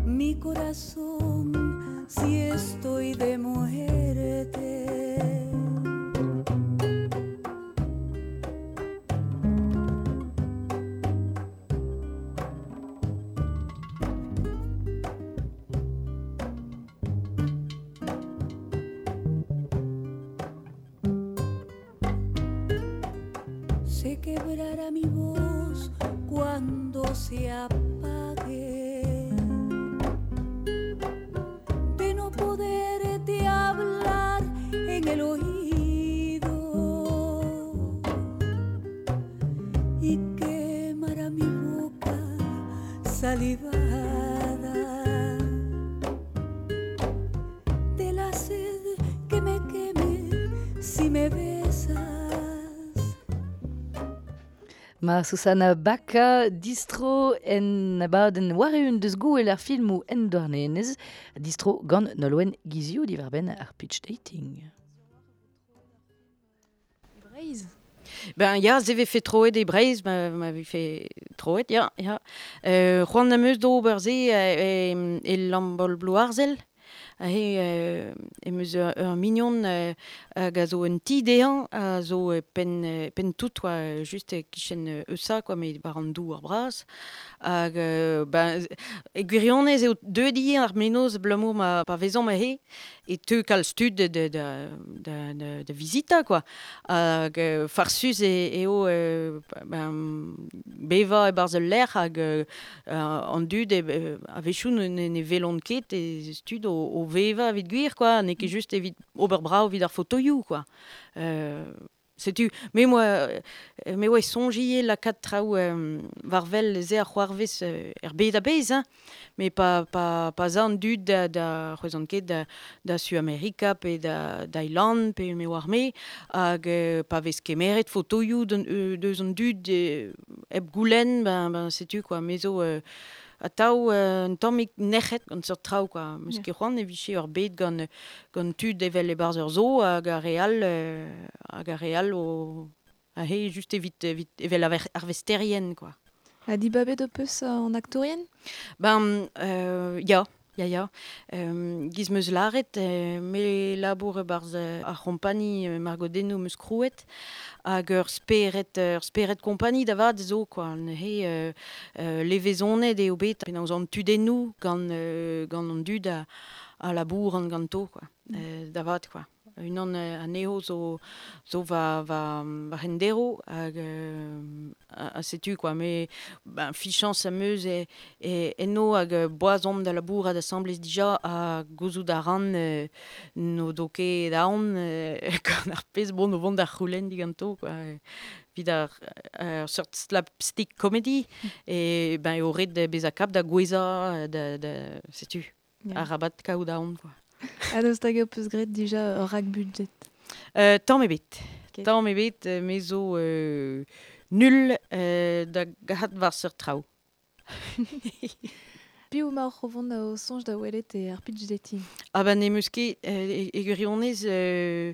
Mi corazón si estoy de muerte. Se quebrará mi voz cuando se apague de no poderte hablar en el oído, y quemará mi boca salivada de la sed que me queme si me besas. Ma Susana Baka distro en abadenn war-eeun deus gouel ar filmoù en Douarnenez, distro gant Nolwenn Guizio diwar-benn ar pitch dating. Breizh. Ben ya, se vefe troet e Breizh, ma, ma vefe troet, ya, ya. Euh, c'hoant am eus d'ober se e, e Lambol Blouarzel. Ahe, euh, em eus ur, ur mignon euh, hag a zo un ti dezhañ, a zo euh, penn, euh, penn tout, quoi, just e kichen euh, Eusa, quoi, met war an douar bras. Hag, euh, ben, e gwirionez eo deuet ivez ar menoz abalamour ma pa vezomp aze, e teu kalz tud de, de, de, de, de, de vizita, quoi. Hag euh, farsus e, eo euh, ben, bevañ e-barzh ul lec'h hag euh, an dud e, euh, a-wechoù ne, ne, ne welont ket e tud o, o vevañ evit gwir, quoi, n'eo ket just evit ober brav evit ar fotoioù, quoi. Euh, setu, me moa, euh, me oa soñj ivez lakaat traoù euh, war wel se ar c'hoarvez euh, er bed a-bezh, hein. Mais pa, pa, pa za an dud da, da c'hwezan ket da, da Suamerika pe da Thaïland pe me oar me, hag euh, pa vez kemeret fotoioù d'an, euh, deus an dud euh, hep goulenn, ben, ben setu, quoi, me zo euh, atav euh, un tammig nec'het gant seurt traoù, quoi. Meus Ya. ket c'hoant e vije ur bed gant, gant tud evel e-barzh ur zoo hag ar re all, euh, hag ar re all o ahe just evit, evit evel ar arvesterien, quoi. Ha dibabet ho peus an aktourien? Ben, euh, ya, ya, ya. Euh, giz meus lâret, euh, me labour e-barzh euh, ar c'hompani euh, Margodennoù meus krouet, hag ur spered, ur spered kompani da vat zo, quoi. Neuze, euh, euh, levezonet eo bet penaos an tudennoù gant, euh, gant an dud a, a labouran ganto, quoi. Mm. Euh, da vat, quoi. Unan euh, anezho zo, zo va, va, va hendero hag euh, a, a setu, quoi. Me, ben, fichañs am eus e, e enno hag euh, boaz omp da labourat asambles dija ha gouzout a ran euh, n'o do ket aon euh, gant ar pezh bon o vont d'ar c'houlenn diganto, quoi. Evit ar, ar seurt slapstick comedy, e ben eo ret bezañ kap da gouezañ, da, da, setu, Ya. arabat kaout aon, quoi. Ha daoust hag ho peus graet dija ur rak-budget? Euh, tamm ebet. Ok. Tamm ebet, euh, me zo euh, nul euh, da gahat war seurt traoù. Piv emaoc'h o vont o soñj da welet e ar pitch dating? Ah ben ne meus ket, euh, e, e gwirionez, euh,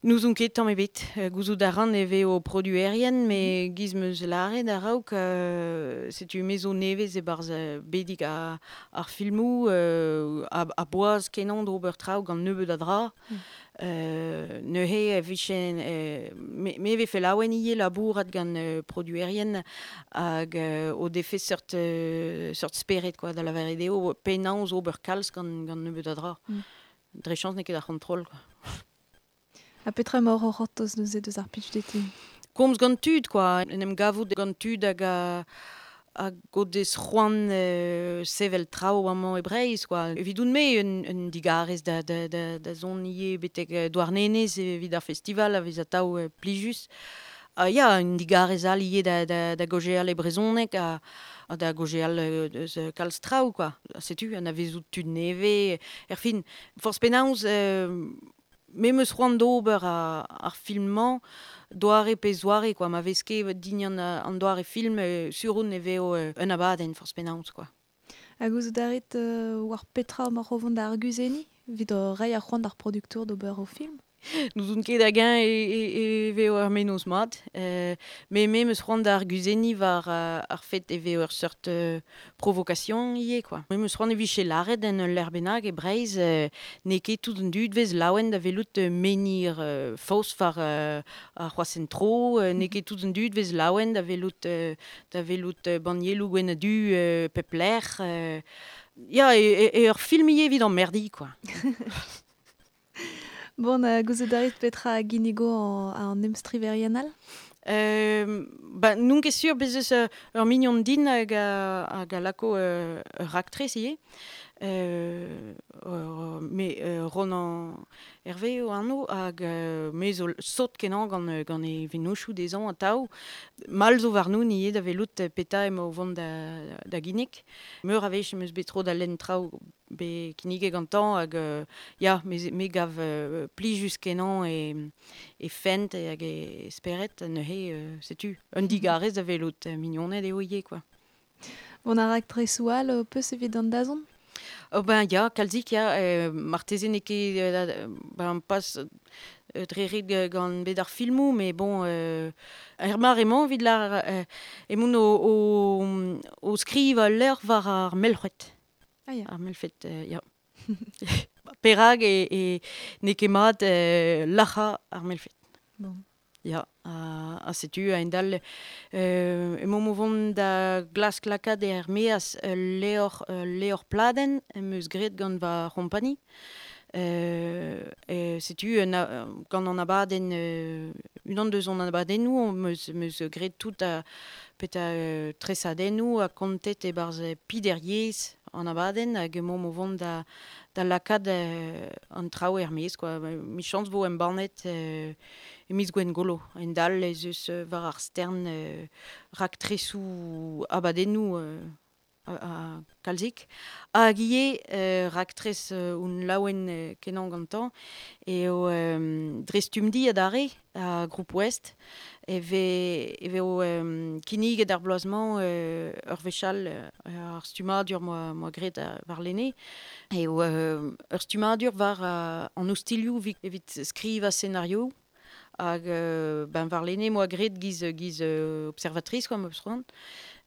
n'ouzon ket tamm ebet. Euh, gouzout a ran e vez o produerien, me giz meus lâret a-raok, euh, setu me zo nevez e-barzh euh, bedig a, ar filmoù, euh, a, a boaz kenañ d'ober traoù gant nebeut a dra. Mm. Euh, neuze e vichen, euh, me, me vefe laouen ivez labourat gant euh, produerien hag euh, o defe seurt, euh, seurt spered, quoi, da lavaret eo penaos ober kalz gant, gant nebeut a dra. Mm. Dre chañs n'eo ket ar c'hontrol, quoi. Ha petra emaoc'h o c'hortoz neuze deus ar pitch dating? Komz gant tud, quoi. En em gavout gant tud hag a, hag o deus c'hoant euh, sevel traoù amañ e Breizh, quoi. Evidoun-me un, un digarez da, da, da, da zon ivez betek Douarnenez evit ar festival a vez atav euh, plijus. Ha ya, un digarez all ivez da, da, da gojeal e brezhoneg ha, ha da gojeal eus kalz traoù, quoi. Ha setu, an avezout tud nevez, erfin, forzh penaos, euh, me meus c'hoant d'ober ar, ar film-mañ, doare pe zoare, quoi. Ma vez ket din an, an doare film, euh, sur un e veo euh, un abadenn forzh penaos, quoi. Hag gouzout a rit euh, war petra ma rovont da arguzenniñ, evit reiñ ar c'hoant d'ar producteur d'ober o film? N'ouzon ket hag-eñ e, e, e veo ar mennozh mat. Euh, me me meus c'hoant da arguzenniñ war uh, ar fet e veo ur seurt euh, provocation ivez, quoi. Me meus c'hoant e vije lâret en ul lec'h bennak e Breizh, euh, n'eo ket tout an dud vez laouen da welout euh, menhir euh, faos war euh, ar c'hroashent-tro, euh, n'eo ket tout an dud vez laouen da welout, euh, da welout euh, bannieloù gwenn ha du euh, pep lec'h. Euh, ya, e, e, e ur film ivez evit an merdi, quoi. Bon, uh, gouzout a rit petra a ginnigo an, an emstriverien all? Euh, ba, n'on ket sur bez eus ur mignon din hag a, hag a lako euh, ur raktres ivez. Euh, euh, me euh, Ronan Hervé eo anv hag euh, me zo sot kenañ gant, gant e vennozhioù dezhañ atav. Mall zo warnoun ivez da welout petra emañ o vont da, da ginnig. Meur a wech em eus bet tro da lenn traoù bet kinniget gantañ hag euh, ya, me, me gav euh, plijus kenañ e, e fent hag e spered neuze euh, setu un digarez da welout mignoned eo ivez, quoi. Bon, ar raktresoù all euh, peus evit an dazont? Oh ben ya, kalzik ya, euh, marteze n'eo ket euh, ben pas euh, dre ret gant bet ar filmoù, mais bon, euh, er mar emañ evit lar euh, emaon o, o, o skrivañ ul levr war ar melc'hwed. Ah ya. Ar melc'hwed, euh, ya. Perak e, e n'eo ket mat euh, lac'hañ ar melc'hwed. Bon. Ya, ha, ha setu a-hend-all euh, emaomp o vont da glask lakaat er maez ul levr, ul levr pladenn em eus graet gant va c'hompani. Euh, e setu un a, gant an abadenn, euh, unan deus an abadennoù am eus, em eus graet tout a peta euh, tresadennoù ha kontet e-barzh peder yezh an abadenn hag emaomp o vont da, da lakaat euh, an traoù er maez, quoi. Michañs vo embannet euh, e miz Gwengolo. A-hend-all ez eus war ar stern euh, raktresoù abadennoù euh, a, a kalzik. Hag ivez euh, raktres euh, un laouen euh, kenañ gantañ eo euh, dre Stumdi adarre a Groupe Ouest e vez, e vez euh, kinniget ar bloaz-mañ euh, ur wech all euh, ar stummadur moa, moa graet warlene. Eo euh, ur stummadur war uh, an ostilhoù evit skrivañ scenario hag euh, ben warlene moa graet giz, giz euh, observatrice, quoi, ma eus c'hoant.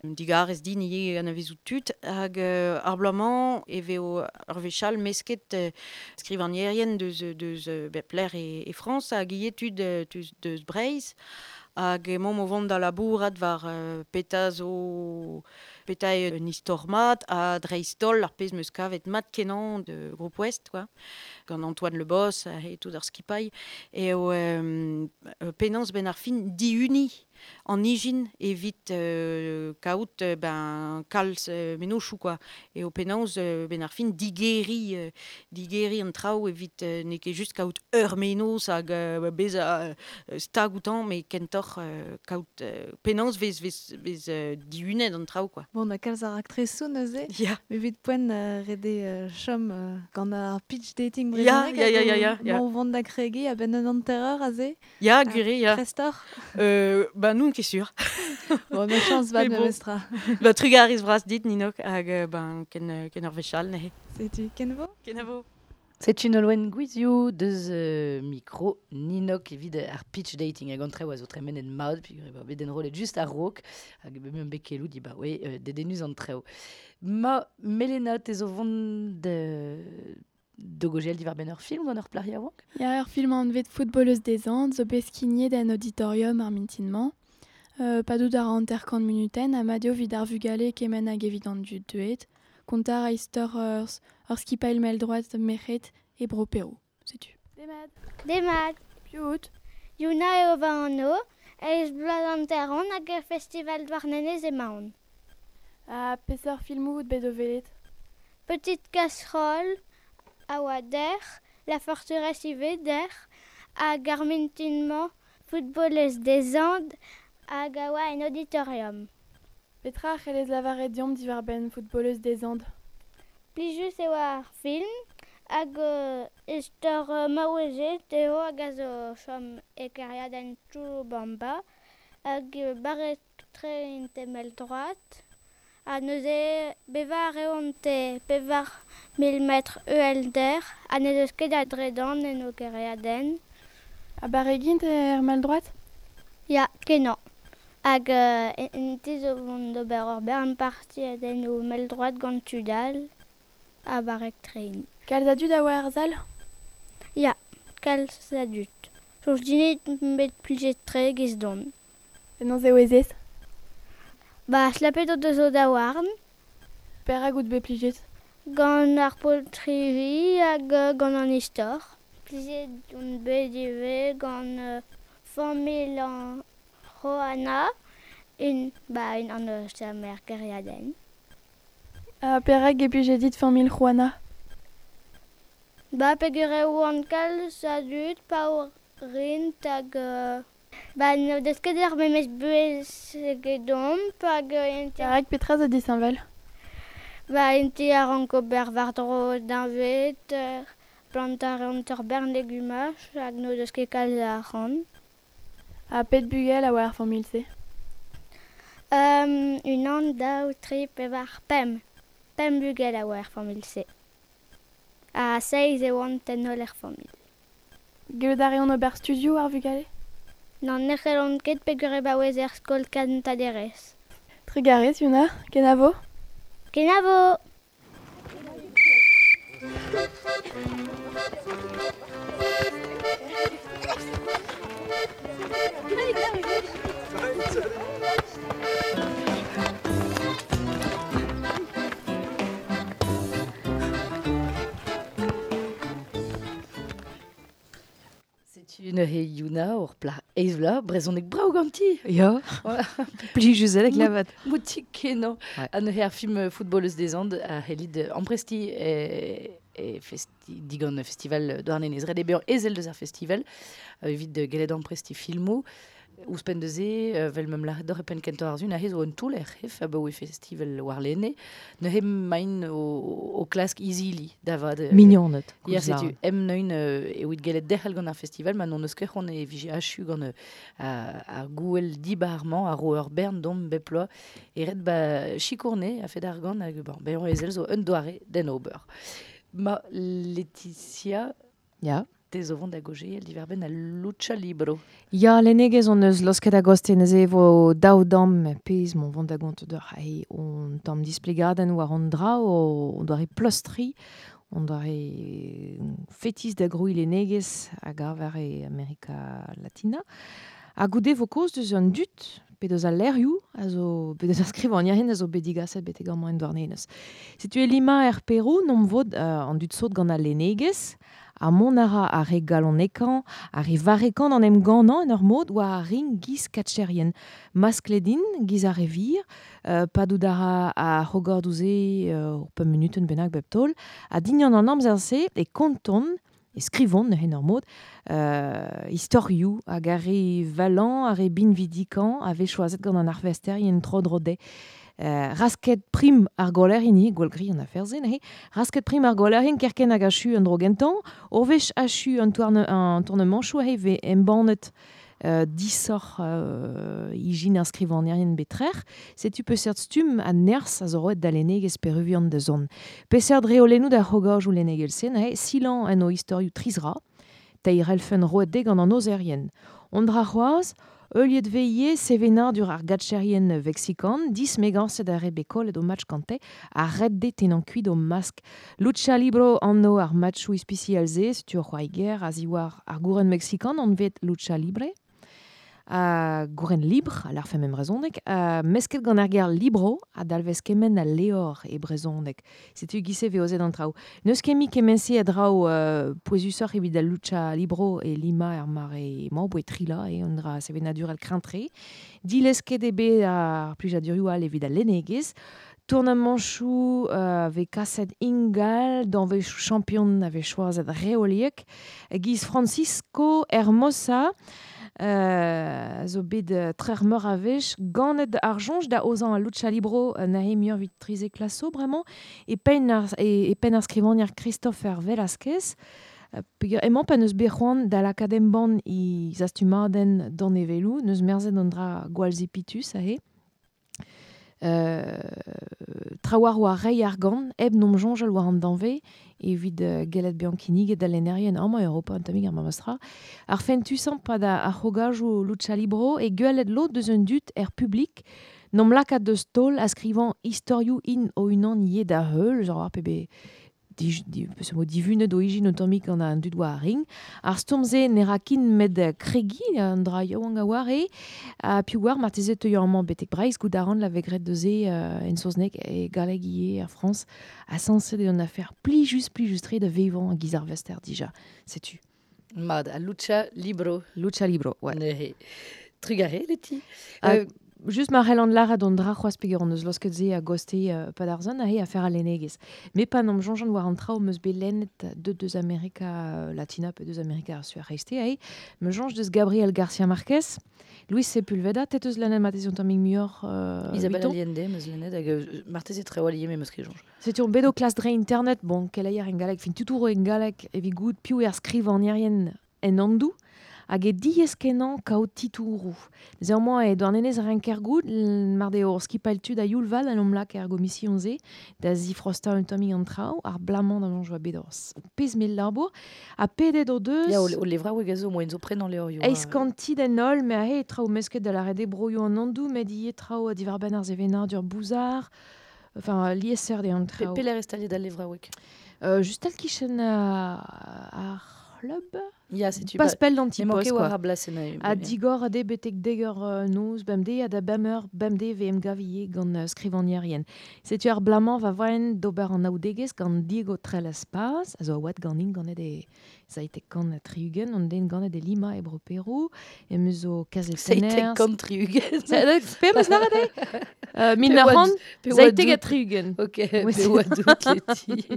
Digarez din ivez anavezout tud hag euh, ar bloaz-mañ e vez ur wech all mesket euh, skrivagnerien deus, deus euh, bep lec'h e, e Frañs hag ivez tud deus, deus Breizh hag emaomp o vont da labourat war euh, petra zo petra eo un istor mat ha dreist-holl ar pezh 'm eus kavet mat kenañ de Groupe Ouest, quoi. Gant Antoine Le Bos e tout ar skipailh eo euh, penaos ben ar fin dihuniñ an ijin evit euh, kaout ben kalz euh, mennozhioù, quoi. Eo penaos euh, ben ar fin digeriñ euh, digeriñ an traoù evit euh, n'eo ket just kaout ur mennozh hag euh, bezañ euh, stag outañ, met kentoc'h euh, kaout euh, penaos vez, vez, vez euh, dihunet an traoù, quoi. Bon, na kalz ar raktresoù neuze. Ya. Evit poent euh, ret eo euh, chom euh, gant ar pitch dating Ya, brezhoneg ya, ya, ya, ya, ya. o vont da kregiñ a-benn un hanter-eur aze. Ya, gwir eo, ya. Prest oc'h? Euh, ba n'on ket sur. Bon, ma chañs vat Mais bon. memestra. Ba trugarez bras dit, Ninok, hag ben ken, ken ur wech all neuze. Setu, kenavo? Kenavo. Setu Nolwenn Gwizioù deus euh, mikro Ninok evit ar pitch dating hag an traoù a zo tremenet mat, puis ba, bet enrollet just a-raok, hag bet meump bet keloù di ba oe euh, dedennus an traoù. Ma Melena, te zo vont de de gojel diwar benn ur film gant ur plac'h yaouank? Ya, ur film anvet Footballeuse des Andes, zo bet skignet en auditorium ar mintin-mañ. Euh, padout ar hanter-kant munutenn ha mat eo evit ar vugale kement hag evit an dud deuet. Kontañ a istor ur, ur skipailh mell-droad merc'hed e bro Perou. Setu. Demat. Demat. Piv out? Yuna eo va anv, eizh bloaz hanter on hag er festival Douarnenez emaon. Ha peseurt filmoù out bet o welet? Petite casserole a oa der, La forteresse ivez der, hag ar mintin-mañ footballez des Andes hag a oa en auditorium. Petra a c'hellez lavaret deomp diwar-benn footballeuse des Andes? Plijus eo ar film hag euh, istor euh, maouezet eo hag a zo chom e kêriadenn Churubamba hag euh, barrek-tre int emell droad. Ha neuze bevañ a reont e pevar mil metr uhelder ha n'ez eus ket a dredan en o kêriadenn. Ha barrek int er mell droad? Ya, kenañ. Hag euh, int zo vont d'ober ur bern partiadenn o mell droad gant tud all ha barrek-tre int. Kalz a dud a oa er sal? Ya, kalz a dud. Soñj din bet plijet-tre giz don. Penaos eo ez? Ba, slapet o deus o daouarn. Perak out bet plijet? Gant ar poltrevi hag gant an istor. Plijet on bet ivez gant euh, familh an Johanna, un, ba, un an eus ar kêriadenn. Ha perak e plijet dit familh Juana? Ba, peogwir eo oant kalz a dud, paour rint hag... Euh, ba, n'o deus ket ar memes buhez egedomp hag... int Perak petra zo disheñvel? Ba, int a rank ober war-dro deñved, plantañ a reont ur bern legumaj hag n'o deus ket kalz a arc'hant. Ha pet bugel a oa ar familh-se? Um, unan, daou, tri, pevar, pemp. Pemp bugel a oa er familh-se. Ha seizh e oant en holl er familh. Gellout a reont ober studioù ar vugale? N'an ne c'hellont ket peogwir e baouez er skol kentañ-derez. Trugarez, Yuna. Kenavo? Kenavo! Setu neuze Yuna ur pla eizh vloaz, brezhoneg brav ganti. Ya, plijus eo klevet. Moutik kenañ. Ha neuze ar film Footballeuse des Andes a c'hellit amprestiñ e, e festi, digant festival Douarnenez. Ret eo bezañ ezel deus ar festival evit gellet amprestiñ filmoù. Ouzhpenn deus-se, vel meum lâret deoc'h e penn kentañ ar sun, aze zo un toull er c'hef abaoe festival warlene. Neuze emaint o, o klask izili da vat. Mignoned. Ya, setu, em neun evit gellet derc'hel gant ar festival, ma n'on eus ket c'hoant e vije achu gant ar gouel dibar-mañ, ar ro ur bern domp bep bloaz, e ret ba sikourne a fed ar gant hag bon, bezañ ezel zo un doare d'en ober. Ma Laetitia... Ya. Te zo vont da gogeel diwar-benn al lucha libro. Ya, lennegezh on eus losket a-goste neuze e vo daou damm pezh m'on vont da gont d'ur hai on tamm displegadenn war an dra o on doare pleustriñ, on doare fetis da grouiñ lennegezh hag aver e Amerika Latina. Ha goude vo kaoz deus an dud, pe deus al lec'hioù, a zo, pe deus ar skrivagnerien a zo bet digaset betek amañ en Douarnenez. Setu e Lima er Perou, n'omp vod euh, an dud sot gant al lennegezh, ha mont a ra ar re galonekañ, ar re varrekañ d'an em gannañ en ur mod war ar ring giz katcherien. Maskledin, giz ar re vir, euh, padout a ra a c'hogordoù-se euh, ur pemp munutenn bennak bep taol, ha dignan an amzer-se e konton, e skrivont en ur mod, euh, istorioù hag ar re valan, ar re binvidikañ a vez choazet gant an arvesterien tro-dro dezhe. Euh, rasket prim ar goler hini, gwall gri an afer-se, neuze, rasket prim ar golerien kerkent hag achu an dro gentañ, ur wech achu an tourne, an tournemanchoù he vez embannet euh, disoc'h euh, ijin ar skrivagnerien betrec'h, setu peseurt stumm a nerzh a zo roet da lennegezh peruvian da zont. Peseurt reolennoù da c'hogorjoù lennegel-se, neuze, silañ en o istorioù trizra, teir elfenn roet dezhe gant an ozerien. On dra c'hoazh, Heuliet veie sevenadur ar gatcherien vexikan, dismegañset ar re bet kollet o match gante, ha ret dezhe tennañ kuit o mask. Lucha libro anv ar matchoù ispisial-se, setu ur c'hoari-ger a ziwar ar gouren mexikan anvet lucha libre, a gouren libre, a larfe mem brezhoneg, a mesket gant ar ger libro, a dalvez kement al leor e brezhoneg. Setu giz-se vezet an traoù. N'eus ket mui kement-se a draoù euh, pouezusoc'h evit al lucha libro e Lima er mare mañ, boe trila e un dra sevenadurel kreñv-tre. Dilesket eo bet ar plijadurioù all evit al lennegezh. Tournamanchou euh, ave kaset ingal, danve champion ave choazet reoliek, giz Francisco Hermosa, euh, zo bet euh, trer meur a vech, ganet ar jonj da ozan a lucha libro euh, nahe muur vit trize klaso, bremañ, e pen ar, e, e pen ar skrivanier Christopher Velasquez, euh, peogwir emañ pa neus bet c'hoant da lakaat embann i zastumadenn d'an evelou, neus merzet an dra gwall zepitus ahe. Euh, trawar oa rei ar gant, eb nom jonjal war an danve, evit uh, gellet bezañ kinniget da lennerien amañ Europa an tammig ar memes-tra. Ar fentusañ pa da ar c'hrogajoù lucha libro e gwelet lod deus un dud er publik nom lakaat deus taol a skrivañ istorioù in o unan ivez da heul, genre ar pebe di, di, peseurt mod divunet o ijin un tammig gant an dud war ar ring. Ar stourm-se ne ra kin met kregi an dra yaouank a oar eo, ha piv oar marteze teuio amañ betek Breizh goût a ran la vegret deus e euh, en saozneg e galleg ivez er Frañs ha sañset eo an afer plijus plijus-tre da vevañ a giz ar vester dija. Setu. Mat, a lucha libro. Lucha libro, ouais. Neuze. Trugarez, Leti. Euh, Euh, Just ma c'hell an lâret an dra c'hoazh peogwir hon eus laosket se a goste euh, pad ar zon aze afer al lennegezh. Me pa n'am soñjan war an traoù 'm eus bet lennet deut deus Amerika Latina pe deus Amerika ar Su ar C'hreisteiz aze, me soñj deus Gabriel Garcia Marquez, Luis Sepulveda, te teus lennet marteze un tammig muioc'h euh, Isabel Vuitton. Allende, 'm eus lennet, hag euh, marteze traoù all ivez, me 'm eus ket soñj. Setu on bet o klas dre internet, bon, keleier en galleg, fin tutouro en galleg, evit goût piv eo ar skrivagnerien en Andoù, hag e diaes kenañ kaout titouroù. Neuze e Douarnenez a renker goût, mar deo ur skipailh tud a youl vat en omp lak er gomision-se, da zifrostañ un tammig an traoù, ar blamañ da soñj oa bet ur pezh mell labour, ha pedet o deus... Ya, o, o levraoueg a zo, moaien zo prenañ levrioù. Eizh kanti d'en holl, me aze e traoù mesket da lâret eo broioù an Andoù, met ivez traoù diwar-benn ar sevenadur bouzar, enfin liesseurt eo an Pe, traoù. pelec'h e staliet al levraoueg? Euh, just al kichen uh, ar c'hlub? Ya, setu Pas ba- pell d'an Emañ ti-post, ket war quoi. ar blasenn, euh, Ha ya. digor a de betek dek eur euh, noz bemdez ha da bemp eur bemdez ve em gav ivez gant euh, skrivagnerien. Setu ar blamañ va voen d'ober an aoudegezh gant Diego Trelles Paz, a zo a oad ganin ganet e seitek kant ha tri-ugent, an den ganet e Lima e bro Perou, em eus zo kazetenner... Seitek kant tri-ugent. Pe em eus lâret eo? Euh, mil Pe nav oa c'hant, pe oa seitek ha dout. tri-ugent. Ok, Ouais, pe oa dout, Leti.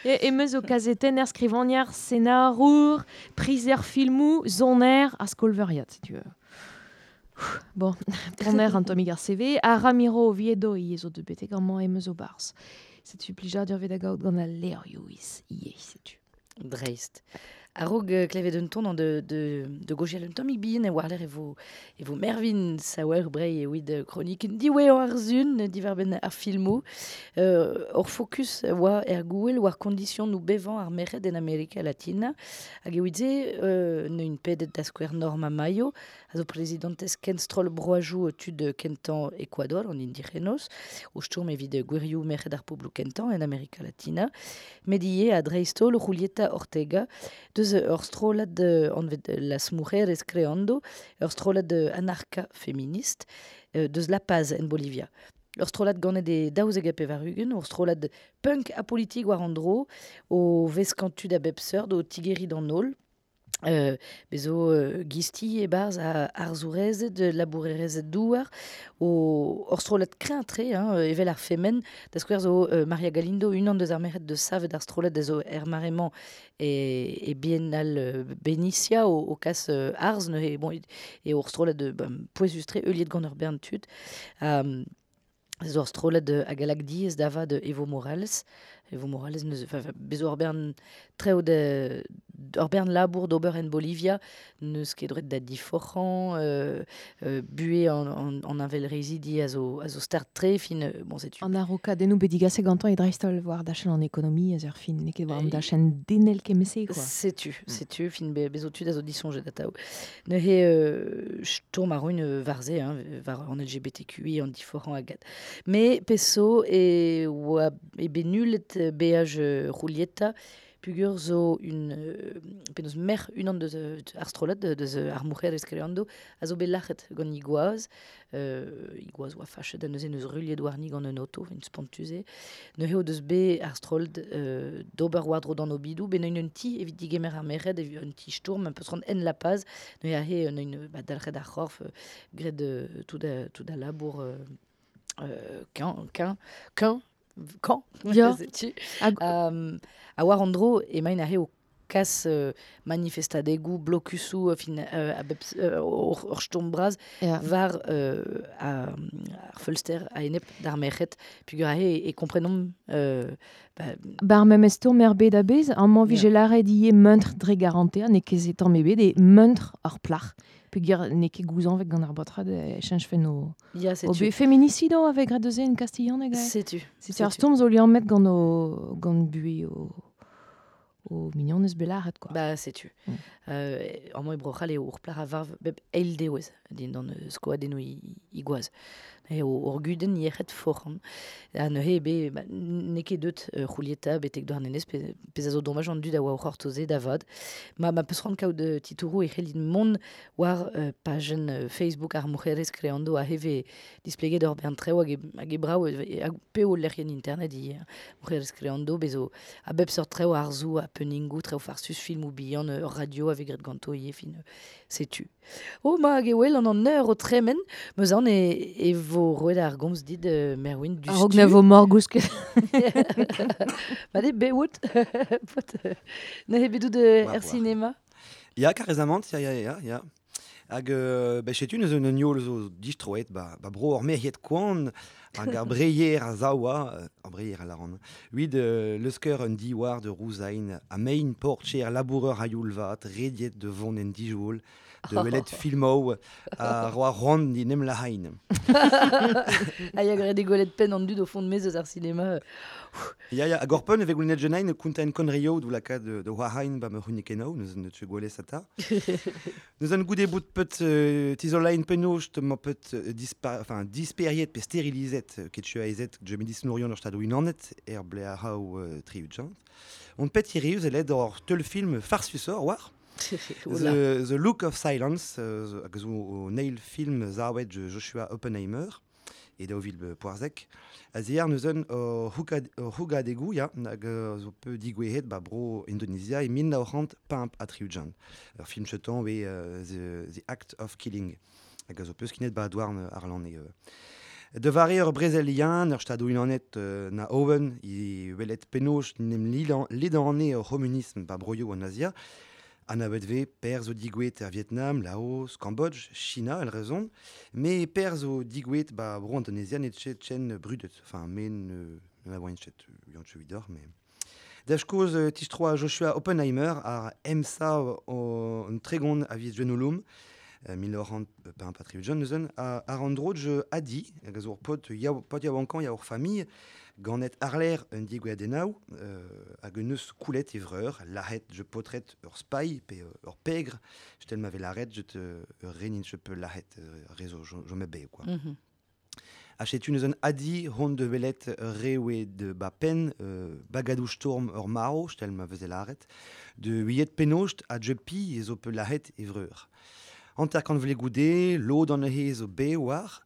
E, em eus zo kazetenner, skrivagner, senarour, prizer filmoù, soner ha skolveuriad, setu. Bon, ponner an tammig ar C V, ha Ramiro Oviedo ivez zo deut betek amañ em eus zo barzh. Setu plijadur 'vit da gaout gant al levrioù iz ivez, setu. Dreist. A-raok euh, klevet un ton an de, de, de gojial un tammig bihan e war-lerc'h e vo, e vo Mervyn Sauerbrey evit euh, kronik diwezhañ ar sun diwar-benn ar filmoù. Euh, hor focus oa er gouel war kondision nou bevañ ar merc'hed en Amerika Latina. Hag evit se, euh, neun pedet da skouer Norma Mayo, a zo prezidentez kenstroll broajoù tud kentañ Ecuador, an indigenos, o stourm evit gwirioù merc'hed ar pobloù kentañ en Amerika Latina. Met ivez a dreist-holl Julieta Ortega, deus ur strollad euh, anvet Las Mujeres Creando, ur strollad anarka feminist, euh, deus La Paz en Bolivia. Ur strollad ganet e daouzek ha pevar-ugent, ur strollad punk ha politik war an dro, o veskañ tud a bep seurt, o tigeriñ d'an holl. Euh, bezo euh, gisti e-barzh a arzourezed, labourerezed douar, o ur strollad kreñv-tre, hein, evel ar femen, da skouer zo euh, Maria Galindo, unan deus ar merc'hed deus savet ar strollad a zo er mare-mañ e, e Biennale euh, Benicia o, o kas euh, arz, neuze, bon, e ur strollad euh, ba, pouezus-tre, heuliet gant ur bern tud. Um, zo ur strollad hag a lak diaes da vat Evo Morales. Evo Morales neus, enfin, bezo ur bern treo de, ur bern labour d'ober en Bolivia, neus ket droet da diforc'hañ, euh, euh, buhe an, an, an avel rezidi a zo, a zo start-tre, fin, euh, bon, setu. An arokadennoù bet digaset gantañ e dreist-holl war dachenn an ekonomiezh ur fin, n'eo ket war an E- dachenn denel kement-se, quoi. Setu, Mm. setu, fin be, bezo tud a zo disoñjet atav. Neuze, euh, stourm a roin euh, war se, hein, war an L G B T Q I, an diforc'hañ hag ad. Me peso e oa e bet nullet beaj euh, Julieta, pugur zo un, euh, penaos merc'h unan deus, euh, ar strollad, deus, euh, ar Mujeres Creando, a zo bet lac'het gant Iguaz. Euh, Iguaz oa fachet ha neuze neus ruilhet warni gant un auto, un spontus eo. Neuze o deus bet ar strollad, euh, d'ober war-dro d'an obidou, bet neun un ti evit digemer ar merc'hed, evit un ti stourm, un peus rand en La Paz, neuze aze, neun, ba, dalc'het ar c'horf, euh, graet, euh, tout a, tout a labour, euh, euh, qu'un, qu'un, qu'un, quand Ya. setu. Hag- Um, a war an dro emaint aze o kas euh, manifestadegou, blokusou, euh, fin, euh, a bep, euh, ur, ur stourm bras, Ya. war euh, a, ar feulster a-enep d'ar merc'hed, pugur aze e, e komprenomp euh, ba, Bar memes tour mer bet a-bez, amañ Ya. vije lâret ivez muntr dre garanter, n'eo ket se tamm ebet, e muntr ar plac'h. Peogwir n'eo ket gouzañvet gant ar baotrad e cheñchfen o... Ya, o setu. be feminicido avec graet deus en kastilhaneg ae. Setu. Setu ar Setu. stourm zo liammet gant o gant buhez o o mignonez bet lâret, quoi. Ba, setu. Mm. Euh, amañ e Bro-C'hall eo ur plac'h a varv bep eil dewezh dindan euh, skoadennoù i, i gwaz. Eo ur gudenn yec'hed foran. Ha neuze be, ba, n'eo ket deut euh, Julieta betek Douarnenez, pe, pezh a zo domaj an dud a oa o c'hortoze da vat. Ma, ma peus c'hoant kaout euh, titouroù e c'hellin mont war euh, pajenn euh, Facebook ar Mujeres Creando a heve displeget ur bern treoù hag e, hag e brav, e, hag peo lec'hienn internet i Mujeres Creando bezo a bep seurt treoù arzoù, happeningoù, treoù farsus, filmoù bihan, ur radio a vez graet ganto ivez, fin, euh, setu. Oh, ma hag e wel an an eur o tremen, meus an e, e vo roet ar gomz dit euh, Merwin du A-raok na vo morgousket. Ba de beout, pot, euh, neuze bet out euh, War, er war. cinéma. Ya, karezamant, ya, ya, ya, ya. Hag, euh, ba, setu neus un yol zo distroet, ba, ba bro ur merc'hed koant, hag ar breier a zaoua, euh, ar breier a laran, huid euh, leusker un diwar de rouzain, a mein portcher laboureur a youl vat, rediet de vont en dijoul, de welet filmou, a roa rond di nem la hain. Ha ya graet e gwelet penn an dud o fond mez eus ar cinéma. Ya, ya, hag ur peun evek goulennet jenain kounta en konrio dou laka de, de oa hain ba me c'hunikenau, neus ne tche gwele sata. Neus an goude bout pet euh, tizolain pennoz te ma pet euh, dispa, enfin, disperiet pe sterilizet euh, ket chua ezet je medicinourion ur stadou unanet er ble a hao euh, triudjant. On pet hirius eled ur teul film farsusor war. Oula. The, The Look of Silence, euh, zo- hag zo o neil film zaouet je Joshua Oppenheimer e daou vil poarzek. A ziar neus un o hougadegou, ya, hag euh, zo peu digouehet ba bro Indonesia e mil nav c'hant pemp ha tri-ugent. Ur film chetan we euh, the, the Act of Killing. Hag a zo peus kinet ba douarn ar lan e. Euh. De vare ur brezelian, ur stadou unanet euh, na Owen, i welet pennoz nem lidan, lidane ur communisme ba broioù an Asia, An abet ve per zo digouet er Vietnam, Laos, Cambodge, China, el rezon, me per zo digouet ba bro Indonesia net chet chen brudet, enfin men euh, na voin chet yann che vidor, mais... Dach koz euh, tistroa Joshua Oppenheimer ar emsa o un tregon a viz genolom, euh, mil nav c'hant pemp ha tri-ugent neuzen, a, ar an dro je adi, hag a zo ur pot yaou, pot yaouankañ ya ur famille, ganet arler un digouadennaou, euh, hag un eus koulet e vreur, lahet je potret ur spay pe euh, ur pegr, je tel m'ave laret, je te euh, renin je peux lahet euh, rezo jo, jo me be, quoi. Mhm. A setu neus un adi hon de velet rewe de ba pen, euh, bagadou storm ur maro, je tel ma veze laret, de huiet pennost a je pi e zo pe lahet e vreur. Hanter kant vle goude, lod an he zo be war,